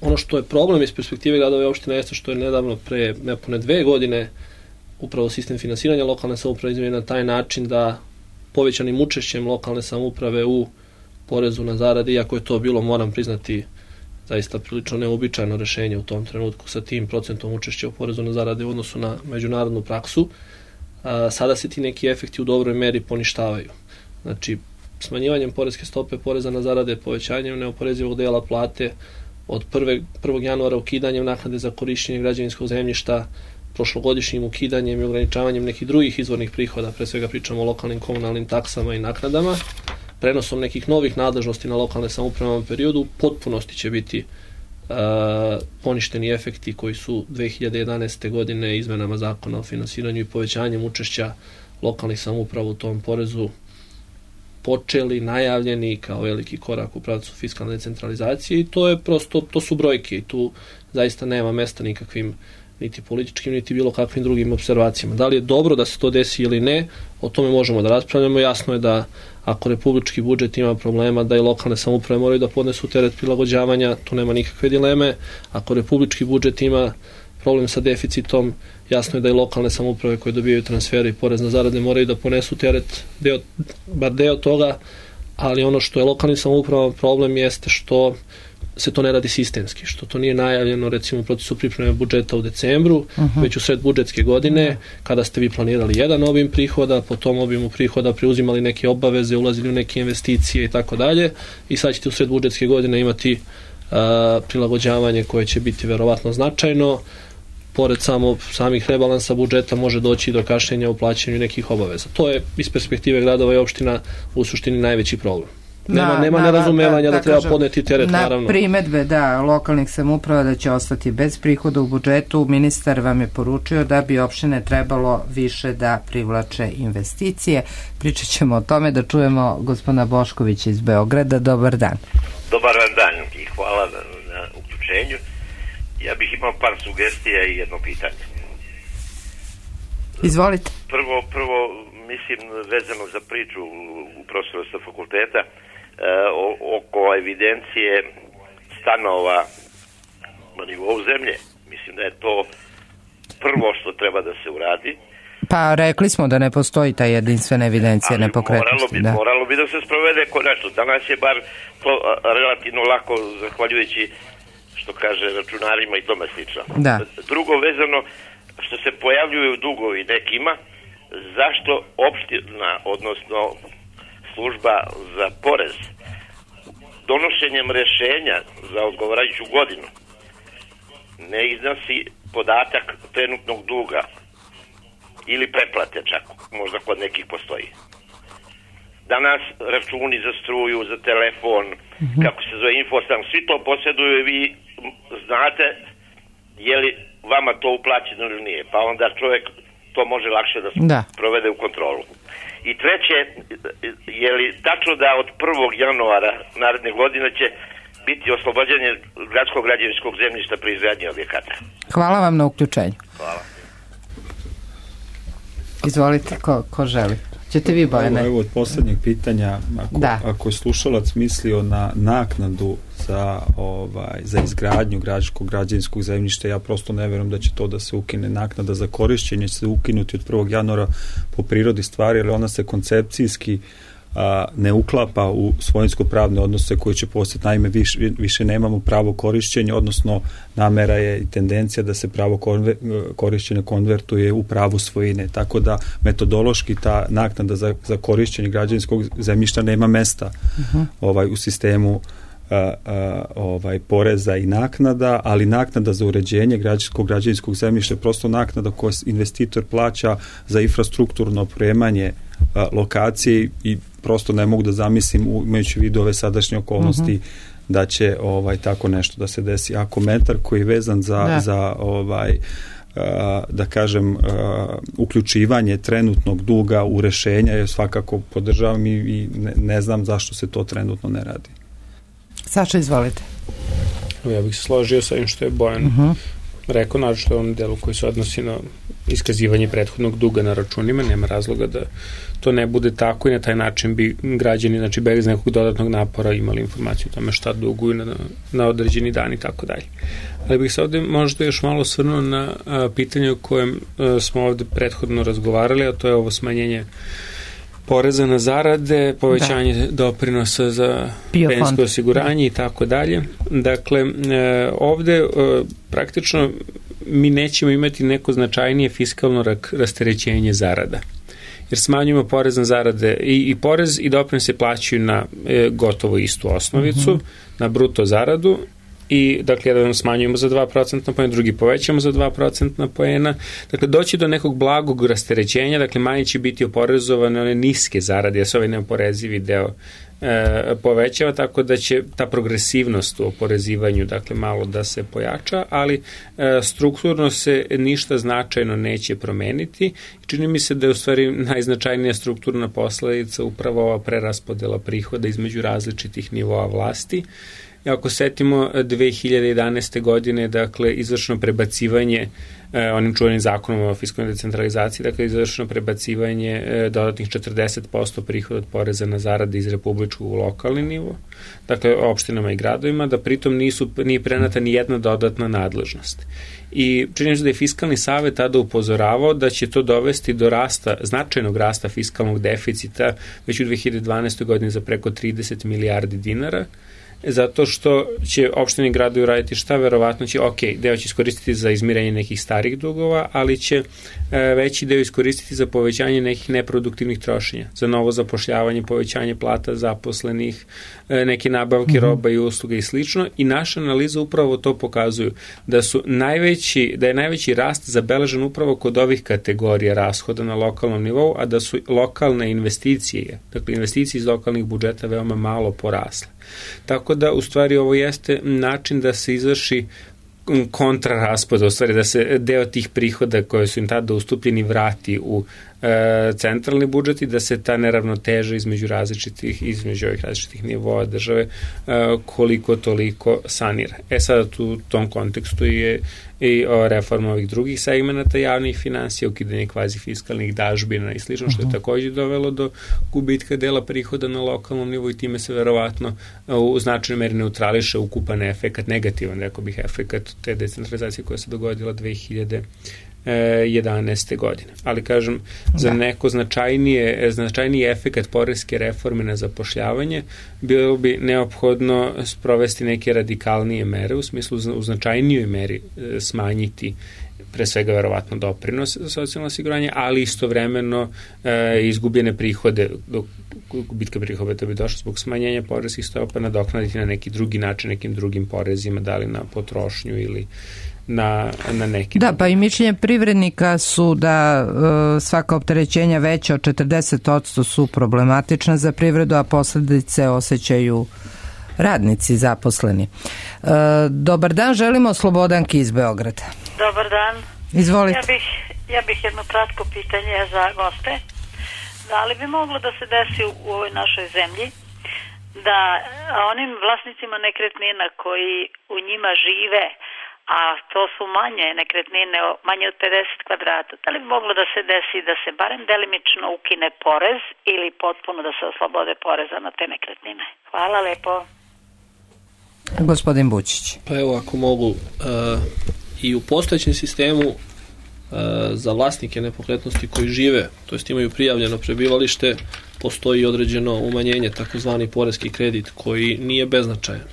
ono što je problem iz perspektive gradova i opština jeste što je nedavno, pre nepune dve godine, upravo sistem finansiranja lokalne samouprave izmenjen na taj način da povećanim učešćem lokalne samouprave u porezu na zarade, iako je to bilo, moram priznati, zaista prilično neobičajno rešenje u tom trenutku sa tim procentom učešća u porezu na zarade u odnosu na međunarodnu praksu, a, sada se ti neki efekti u dobroj meri poništavaju. Znači, smanjivanjem poreske stope poreza na zarade, povećanjem neoporezivog dela plate, od prvog januara ukidanjem naknade za korišćenje građevinskog zemljišta, prošlogodišnjim ukidanjem i ograničavanjem nekih drugih izvornih prihoda, pre svega pričamo o lokalnim komunalnim taksama i naknadama, prenosom nekih novih nadležnosti na lokalne samouprave u ovom periodu, u potpunosti će biti uh, poništeni efekti koji su dve hiljade jedanaeste. godine izmenama zakona o finansiranju i povećanjem učešća lokalnih samouprava u tom porezu počeli, najavljeni kao veliki korak u pravcu fiskalne decentralizacije, i to je prosto, to su brojke i tu zaista nema mesta nikakvim niti političkim, niti bilo kakvim drugim observacijama. Da li je dobro da se to desi ili ne, o tome možemo da raspravljamo. Jasno je da ako republički budžet ima problema, da i lokalne samouprave moraju da podnesu teret prilagođavanja, tu nema nikakve dileme. Ako republički budžet ima problem sa deficitom, jasno je da i lokalne samouprave koje dobijaju transfere i porez na zarade moraju da ponesu teret, deo, bar deo toga, ali ono što je lokalnim samoupravama problem jeste što se to ne radi sistemski, što to nije najavljeno recimo u procesu pripreme budžeta u decembru, uh-huh. već u sred budžetske godine, kada ste vi planirali jedan obim prihoda, po tom obimu prihoda preuzimali neke obaveze, ulazili u neke investicije i tako dalje, i sad ćete u sred budžetske godine imati uh, prilagođavanje koje će biti verovatno značajno. Pored samo samih rebalansa budžeta može doći do kašnjenja u plaćanju nekih obaveza. To je iz perspektive gradova i opština u suštini najveći problem. Nema, da, nema da, nerazumevanja da, da, da treba kažem, podneti teret, na naravno. Na primetbe, da, lokalnih samouprava da će ostati bez prihoda u budžetu, ministar vam je poručio da bi opštine trebalo više da privlače investicije. Pričat ćemo o tome, da čujemo gospodina Boškovića iz Beograda. Dobar dan. Dobar dan i hvala na, na uključenju. Ja bih imao par sugestija i jedno pitanje. Izvolite. Prvo, prvo mislim, vezano za priču u profesorstva fakulteta e, o, oko evidencije stanova na nivou zemlje. Mislim da je to prvo što treba da se uradi. Pa rekli smo da ne postoji ta jedinstvena evidencija nepokretnosti. Moralo bi, da. moralo bi da se sprovede konačno. Danas je bar to relativno lako, zahvaljujući, što kaže, računarima i tome slično. Da. Drugo, vezano što se pojavljuju dugovi nekima, zašto opština, odnosno služba za porez, donošenjem rešenja za odgovarajuću godinu ne iznosi podatak trenutnog duga ili preplate čak. možda kod nekih postoji. Danas računi za struju, za telefon, mm-hmm. kako se zove Infostan, svi to posjeduju i vi znate je li vama to uplaćeno ili nije, pa onda čovjek to može lakše da, da. provede u kontrolu. I treće, je li tačno da od prvog januara naredne godine će biti oslobođenje gradskog građevinskog zemljišta pri izgradnji objekata? Hvala vam na uključenju. Hvala. Izvolite, ko, ko želi? Ćete vi, Bojane? Evo, evo od posljednjeg pitanja, ako, ako je slušalac mislio na naknadu za, ovaj, za izgradnju gradskog građevinskog zemljišta, ja prosto ne vjerujem da će to da se ukine. Naknada za korišćenje će se ukinuti od prvog januara po prirodi stvari, jer ona se koncepcijski a, ne uklapa u svojinsko-pravne odnose koji će postati. Naime, više, više nemamo pravo korišćenja, odnosno namera je i tendencija da se pravo konver, korišćenja konvertuje u pravo svojine. Tako da metodološki ta naknada za, za korišćenje građevinskog zemljišta nema mesta uh-huh. ovaj, u sistemu a, a, ovaj, poreza i naknada, ali naknada za uređenje građanskog građevinskog zemljišta je prosto naknada koju investitor plaća za infrastrukturno opremanje a, lokacije i prosto ne mogu da zamislim, imajući vidu ove sadašnje okolnosti, uh-huh. da će ovaj tako nešto da se desi. A komentar koji je vezan za, da. za ovaj uh, da kažem uh, uključivanje trenutnog duga u rešenja, je svakako podržavam i, i ne, ne znam zašto se to trenutno ne radi. Saša, izvolite. Ja bih se složio sa ovim što je Bojan uh-huh. rekao, naravno u ovom delu koji se odnosi na iskazivanje prethodnog duga na računima, nema razloga da to ne bude tako i na taj način bi građani, znači bez nekog dodatnog napora imali informaciju o tome šta duguju na, na određeni dan i tako dalje. Ali bih se ovde možda još malo osvrnuo na a, pitanje o kojem a, smo ovde prethodno razgovarali, a to je ovo smanjenje poreza na zarade, povećanje da. doprinosa za penzijsko osiguranje i tako dalje. Dakle, e, ovde e, praktično mi nećemo imati neko značajnije fiskalno rasterećenje zarada. Jer smanjujemo porez na zarade i, i porez i doprinos se plaćaju na e, gotovo istu osnovicu, uh-huh. na bruto zaradu i dakle jedan smanjujemo za dva procentna poena, drugi povećamo za dva procentna poena. Dakle, doći do nekog blagog rasterećenja, dakle manje će biti oporezovane one niske zarade, jer se ovaj neoporezivi deo e, povećava, tako da će ta progresivnost u oporezivanju dakle malo da se pojača, ali e, strukturno se ništa značajno neće promeniti. Čini mi se da je u stvari najznačajnija strukturna posledica upravo ova preraspodela prihoda između različitih nivoa vlasti. I ako setimo dve hiljade jedanaeste godine, dakle, izvršno prebacivanje eh, onim čuvenim zakonom o fiskalnoj decentralizaciji, dakle, izvršno prebacivanje eh, dodatnih četrdeset posto prihoda od poreza na zarade iz republičkog u lokalni nivo, dakle, opštinama i gradovima, da pritom nisu, nije prenata ni jedna dodatna nadležnost. I čini se da je Fiskalni savet tada upozoravao da će to dovesti do rasta, značajnog rasta fiskalnog deficita već u dve hiljade dvanaestoj godini za preko trideset milijardi dinara, zato što će opštine i gradovi raditi šta, verovatno će, ok, deo će iskoristiti za izmirenje nekih starih dugova, ali će e, veći deo iskoristiti za povećanje nekih neproduktivnih trošenja, za novo zapošljavanje, povećanje plata zaposlenih, e, neke nabavke mm-hmm. roba i usluga i slično. I naša analiza upravo to pokazuju, da su najveći, da je najveći rast zabeležen upravo kod ovih kategorija rashoda na lokalnom nivou, a da su lokalne investicije, dakle investicije iz lokalnih budžeta veoma malo porasle. Tako da, u stvari, ovo jeste način da se izvrši kontraraspoda, u stvari da se deo tih prihoda koje su im tada ustupljeni vrati u e, centralni budžet i da se ta neravnoteža između različitih, između ovih različitih nivoa države e, koliko toliko sanira. E sada tu u tom kontekstu je i reforma ovih drugih segmenata javnih finansija, ukidanje kvazi fiskalnih dažbina i slično, što je također dovelo do gubitka dela prihoda na lokalnom nivou i time se verovatno u značajnoj meri neutrališe ukupan efekat, negativan, rekao bih, efekat te decentralizacije koja se dogodila dve hiljade jedanaeste godine. Ali kažem, za neko značajnije, značajniji efekat poreske reforme na zapošljavanje bilo bi neophodno sprovesti neke radikalnije mere, u smislu u značajnijoj meri smanjiti pre svega verovatno doprinos za socijalno osiguranje, ali istovremeno e, izgubljene prihode, dok gubitka prihoda da bi došlo zbog smanjenja poreskih stopa, nadoknaditi na neki drugi način, nekim drugim porezima, da li na potrošnju ili na, na neki... Da, pa i mišljenje privrednika su da e, svaka opterećenja veća od četrdeset posto su problematična za privredu, a posledice osjećaju radnici zaposleni. E, dobar dan, želimo Slobodanki iz Beograda. Dobar dan. Izvolite. Ja bih, ja bih jedno kratko pitanje za goste. Da li bi moglo da se desi u ovoj našoj zemlji da onim vlasnicima nekretnina koji u njima žive, a to su manje nekretnine, manje od pedeset kvadrata, da li bi moglo da se desi da se barem delimično ukine porez ili potpuno da se oslobode poreza na te nekretnine? Hvala lepo. Gospodin Bučić. Pa evo, ako mogu, uh, i u postojećem sistemu uh, za vlasnike nepokretnosti koji žive, to jest imaju prijavljeno prebivalište, postoji određeno umanjenje, takozvani poreski kredit, koji nije beznačajan.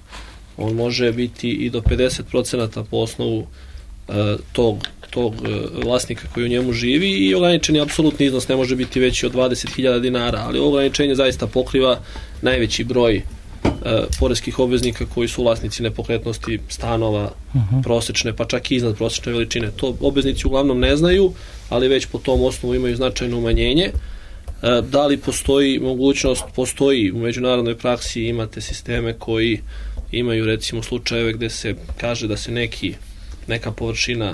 On može biti i do pedeset procenata po osnovu uh, tog, tog uh, vlasnika koji u njemu živi i ograničeni apsolutni iznos ne može biti veći od dvadeset hiljada dinara, ali ograničenje zaista pokriva najveći broj uh, poreskih obveznika koji su vlasnici nepokretnosti, stanova, uh-huh. prosečne, pa čak i iznad prosečne veličine. To obveznici uglavnom ne znaju, ali već po tom osnovu imaju značajno umanjenje. Uh, da li postoji mogućnost, postoji u međunarodnoj praksi, imate sisteme koji imaju recimo slučajeve gde se kaže da se neki, neka površina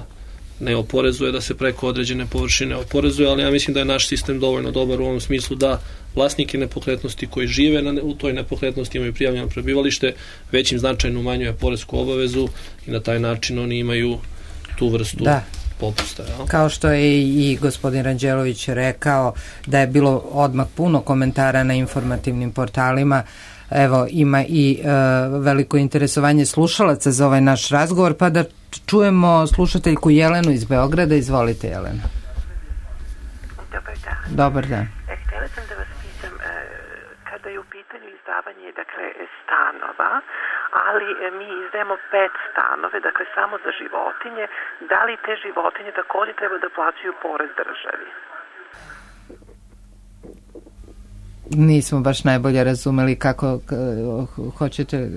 ne oporezuje, da se preko određene površine oporezuje, ali ja mislim da je naš sistem dovoljno dobar u ovom smislu da vlasnike nepokretnosti koji žive na, u toj nepokretnosti imaju prijavljeno prebivalište, već im značajno umanjuje poresku obavezu i na taj način oni imaju tu vrstu da. popusta. Ja? Kao što je i gospodin Ranđelović rekao da je bilo odmah puno komentara na informativnim portalima. Evo, ima i e, veliko interesovanje slušalaca za ovaj naš razgovor, pa da čujemo slušateljku Jelenu iz Beograda. Izvolite, Jelena. Dobar dan. Dobar dan. E, htjela sam da vas pitam, e, kada je u pitanju izdavanje, dakle, stanova, ali e, mi izdajemo pet stanove, dakle, samo za životinje, da li te životinje također treba da plaćaju porez državi? Nismo baš najbolje razumeli kako hoćete,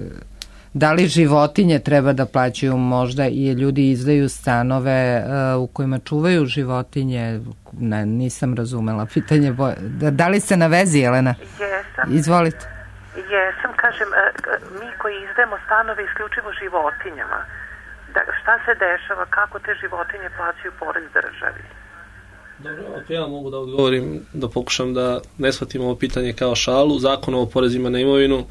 da li životinje treba da plaćaju, možda i ljudi izdaju stanove uh, u kojima čuvaju životinje. Ne, nisam razumela pitanje. Da, da li ste na vezi, Jelena? Jesam. Izvolite. Jesam, kažem, mi koji izdajemo stanove isključivo životinjama, da, šta se dešava, kako te životinje plaćaju porez državi? Dobro, ako ja mogu da odgovorim, da pokušam da ne shvatim ovo pitanje kao šalu. Zakonom o porezima na imovinu,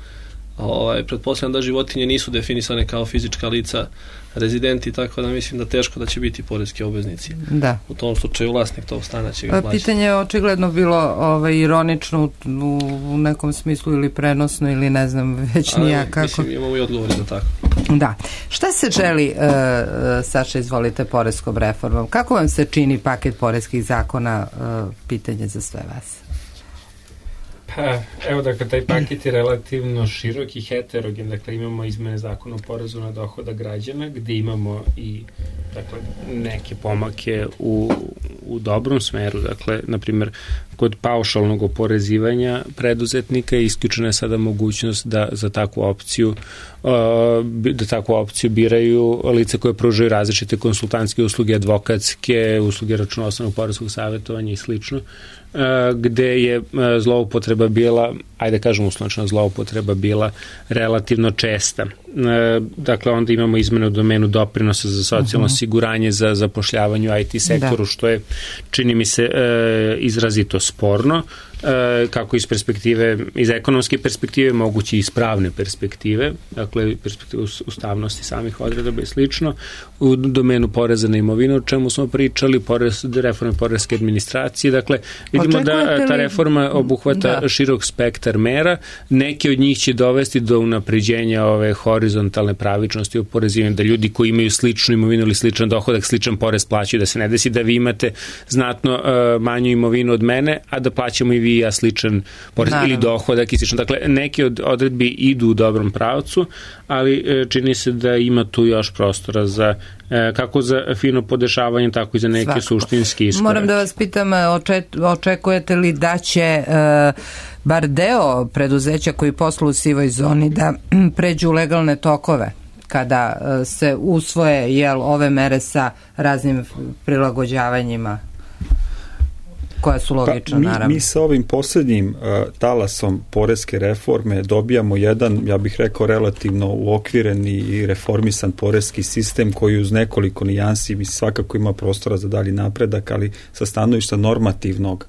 ovaj, pretpostavljam da životinje nisu definisane kao fizička lica rezidenti, tako da mislim da teško da će biti poreski obveznici. Da. U tom slučaju vlasnik tog stana će ga plaćati. Pitanje je očigledno bilo ovaj, ironično u, u nekom smislu ili prenosno ili ne znam već nija kako. Mislim, imamo i odgovor za tako. Da. Šta se želi, uh, Saša, izvolite, poreskom reformom? Kako vam se čini paket poreskih zakona? Uh, pitanje za sve vas. Pa, evo, dakle, taj paket je relativno širok i heterogen, dakle, imamo izmene zakona o porezu na dohodak građana, gde imamo i, dakle, neke pomake u, u dobrom smeru, dakle, na primjer, kod paušalnog oporezivanja preduzetnika je isključena sada mogućnost da za takvu opciju da takvu opciju biraju lice koje pružaju različite konsultantske usluge, advokatske usluge, računovodstvenog poreskog savjetovanja i slično, gde je zloupotreba bila, ajde kažem uslovno, zloupotreba bila relativno česta. Dakle, onda imamo izmene u domenu doprinosa za socijalno uh-huh. osiguranje, za zapošljavanje u I T sektoru, da. Što je, čini mi se, izrazito sporno, kako iz perspektive, iz ekonomske perspektive, moguće i iz pravne perspektive, dakle perspektive ustavnosti samih odredaba i slično. U domenu poreza na imovinu, o čemu smo pričali, porez, reforme poreske administracije, dakle vidimo da ta reforma obuhvata da. širok spektar mera, neke od njih će dovesti do unapređenja ove horizontalne pravičnosti oporezivanja, da ljudi koji imaju sličnu imovinu ili sličan dohodak, sličan porez plaćaju, da se ne desi da vi imate znatno uh, manju imovinu od mene, a da plaćamo i P I V, a sličan porez Naravno. ili dohodak i slično. Dakle, neke od odredbi idu u dobrom pravcu, ali čini se da ima tu još prostora za kako za fino podešavanje, tako i za neke Svakako. suštinski iskorake. Moram da vas pitam, očekujete li da će bar deo preduzeća koji posluju u sivoj zoni da pređu u legalne tokove kada se usvoje jel, ove mere sa raznim prilagođavanjima koja su logična, pa, mi, naravno. Mi sa ovim posljednjim uh, talasom poreske reforme dobijamo jedan, ja bih rekao, relativno uokvireni i reformisan poreski sistem koji uz nekoliko nijansi mi svakako ima prostora za dalji napredak, ali sa stanovišta normativnog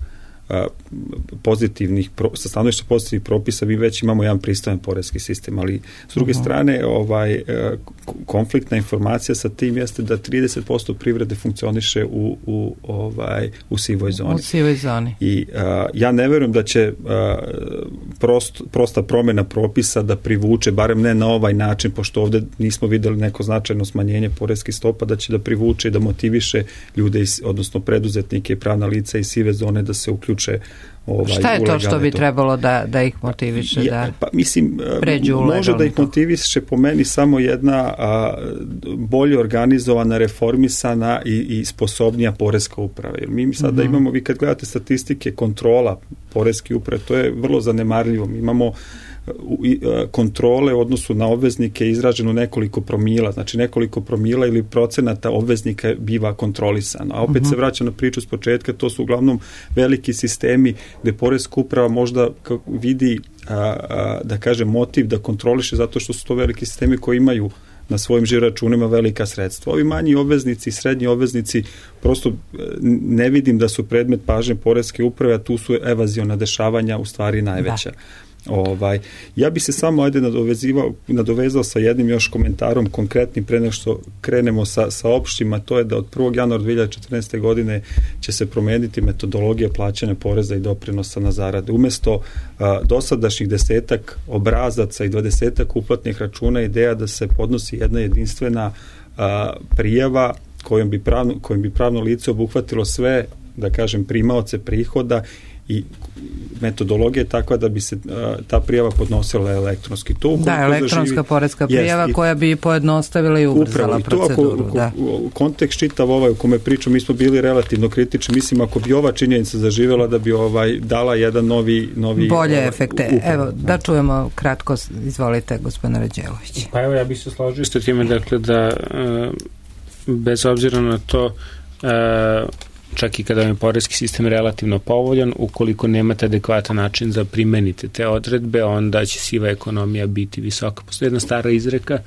pozitivnih, sa stanovišta pozitivnih propisa mi već imamo jedan pristojan poreski sistem, ali s druge uh-huh. strane ovaj, konfliktna informacija sa tim jeste da trideset posto privrede funkcioniše u, u, ovaj, u sivoj zoni. U sivoj zoni. I a, ja ne verujem da će a, prost, prosta promjena propisa da privuče, barem ne na ovaj način, pošto ovdje nismo videli neko značajno smanjenje poreskih stopa, da će da privuče i da motiviše ljude, iz, odnosno preduzetnike i pravna lica iz sive zone da se uključe. Ovaj, šta je to što bi trebalo da, da ih motiviše ja, da pa, mislim, pređu u može da ih motiviše po meni samo jedna a, bolje organizovana, reformisana i, i sposobnija poreska uprava. Jer mi sada mm-hmm. imamo, vi kad gledate statistike kontrola poreske uprave, to je vrlo zanemarljivo. Mi imamo kontrole u odnosu na obveznike izraženo nekoliko promila, znači nekoliko promila ili procenata obveznika biva kontrolisano. A opet uh-huh. se vraća na priču s početka, to su uglavnom veliki sistemi gde poreska uprava možda vidi, a, a, da kaže, motiv da kontroliše zato što su to veliki sistemi koji imaju na svojim žiro-računima velika sredstva. Ovi manji obveznici i srednji obveznici prosto ne vidim da su predmet pažnje poreske uprave, a tu su evaziona dešavanja u stvari najveća. Da. Ovaj, ja bi se samo ajde nadovezivao, nadovezao sa jednim još komentarom konkretnim pre nego što krenemo sa, sa opštima, to je da od prvog januara dve hiljade četrnaeste. godine će se promeniti metodologija plaćanja poreza i doprinosa na zarade. Umesto a, dosadašnjih desetak obrazaca i dvadesetak uplatnih računa, ideja da se podnosi jedna jedinstvena a, prijava kojom bi, pravno, kojom bi pravno lice obuhvatilo sve, da kažem, primaoce prihoda i metodologija je takva da bi se a, ta prijava podnosila elektronski. To da, elektronska zaživi, poreska prijava jest, koja bi pojednostavila i ubrzala proceduru. Upravo, da. U kontekst čitav ovaj u kome pričam, mi smo bili relativno kritični, mislim ako bi ova činjenica zaživjela da bi ovaj dala jedan novi... novi bolje ovaj, efekte. Upravo. Evo, da čujemo kratko, izvolite, gospodine Rađelović. Pa evo, ja bih se složio s time, dakle, da bez obzira na to čak i kada je poreski sistem relativno povoljan, ukoliko nemate adekvatan način za primenite te odredbe, onda će siva ekonomija biti visoka. Postoji jedna stara izreka,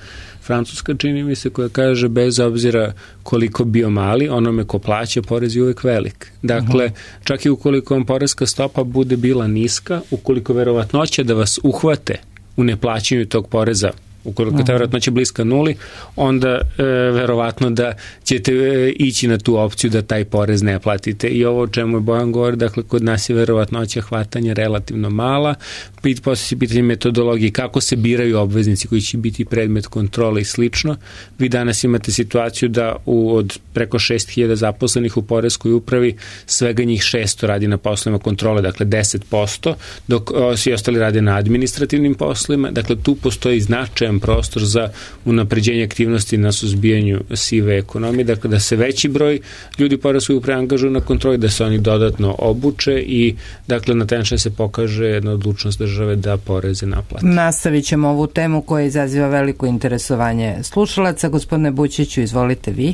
francuska čini mi se, koja kaže bez obzira koliko bio mali, onome ko plaća porez je uvek velik. Dakle, uh-huh. čak i ukoliko vam poreska stopa bude bila niska, ukoliko verovatnoća da vas uhvate u neplaćanju tog poreza, ukoliko ta verovatnoća bliska nuli, onda e, verovatno da ćete e, ići na tu opciju da taj porez ne platite. I ovo o čemu je Bojan govori, dakle, kod nas je verovatnoća hvatanja relativno mala. Pit, posle se pitanje metodologije, kako se biraju obveznici koji će biti predmet kontrole i slično. Vi danas imate situaciju da u, od preko šest hiljada zaposlenih u poreskoj upravi svega njih šesto radi na poslovima kontrole, dakle deset posto, dok o, svi ostali rade na administrativnim poslovima. Dakle, tu postoji značajan prostor za unapređenje aktivnosti na suzbijanju sive ekonomije, dakle da se veći broj ljudi poreskoj upravi angažuju na kontroli, da se oni dodatno obuče i dakle na taj način se pokaže jedna odlučnost države da poreze naplati. Nastavit ćemo ovu temu koja izaziva veliko interesovanje slušalaca. Gospodine Bućiću, izvolite vi.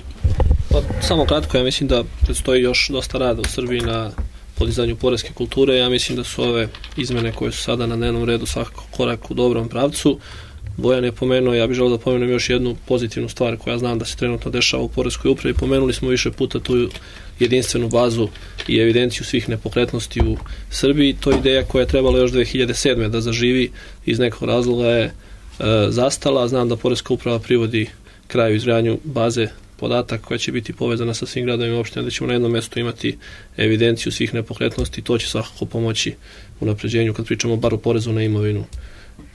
Pa, samo kratko, ja mislim da predstoji još dosta rada u Srbiji na podizanju poreske kulture. Ja mislim da su ove izmene koje su sada na dnevnom redu svakako korak u dobrom pravcu. Bojan je pomenuo, ja bih želeo da pomenem još jednu pozitivnu stvar koja znam da se trenutno dešava u poreskoj upravi. Pomenuli smo više puta tu jedinstvenu bazu i evidenciju svih nepokretnosti u Srbiji. To je ideja koja je trebala još dve hiljade sedme. da zaživi, iz nekog razloga je e, zastala. Znam da poreska uprava privodi kraju izgradnju baze podataka koja će biti povezana sa svim gradovima i opštinama, da ćemo na jednom mjestu imati evidenciju svih nepokretnosti. To će svakako pomoći u napređenju kad pričamo bar o porezu na imovinu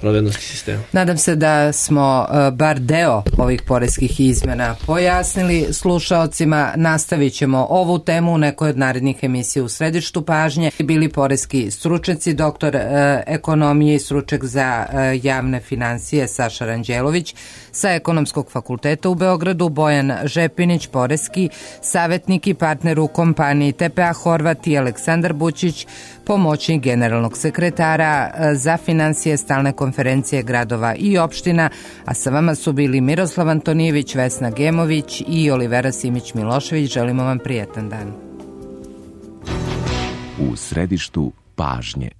pravednosti sistema. Nadam se da smo uh, bar deo ovih poreskih izmena pojasnili slušaocima. Nastavit ćemo ovu temu u nekoj od narednih emisija u središtu pažnje. Bili poreski stručnjaci, doktor uh, ekonomije i stručnjak za uh, javne financije Saša Ranđelović sa Ekonomskog fakulteta u Beogradu, Bojan Žepinić, poreski savjetnik i partner u kompaniji T P A Horvat i Aleksandar Bućić, pomoćnik generalnog sekretara za financije stalne konferencije gradova i opština, a sa vama su bili Miroslav Antonijević, Vesna Gemović i Olivera Simić-Milošević. Želimo vam prijetan dan. U središtu pažnje.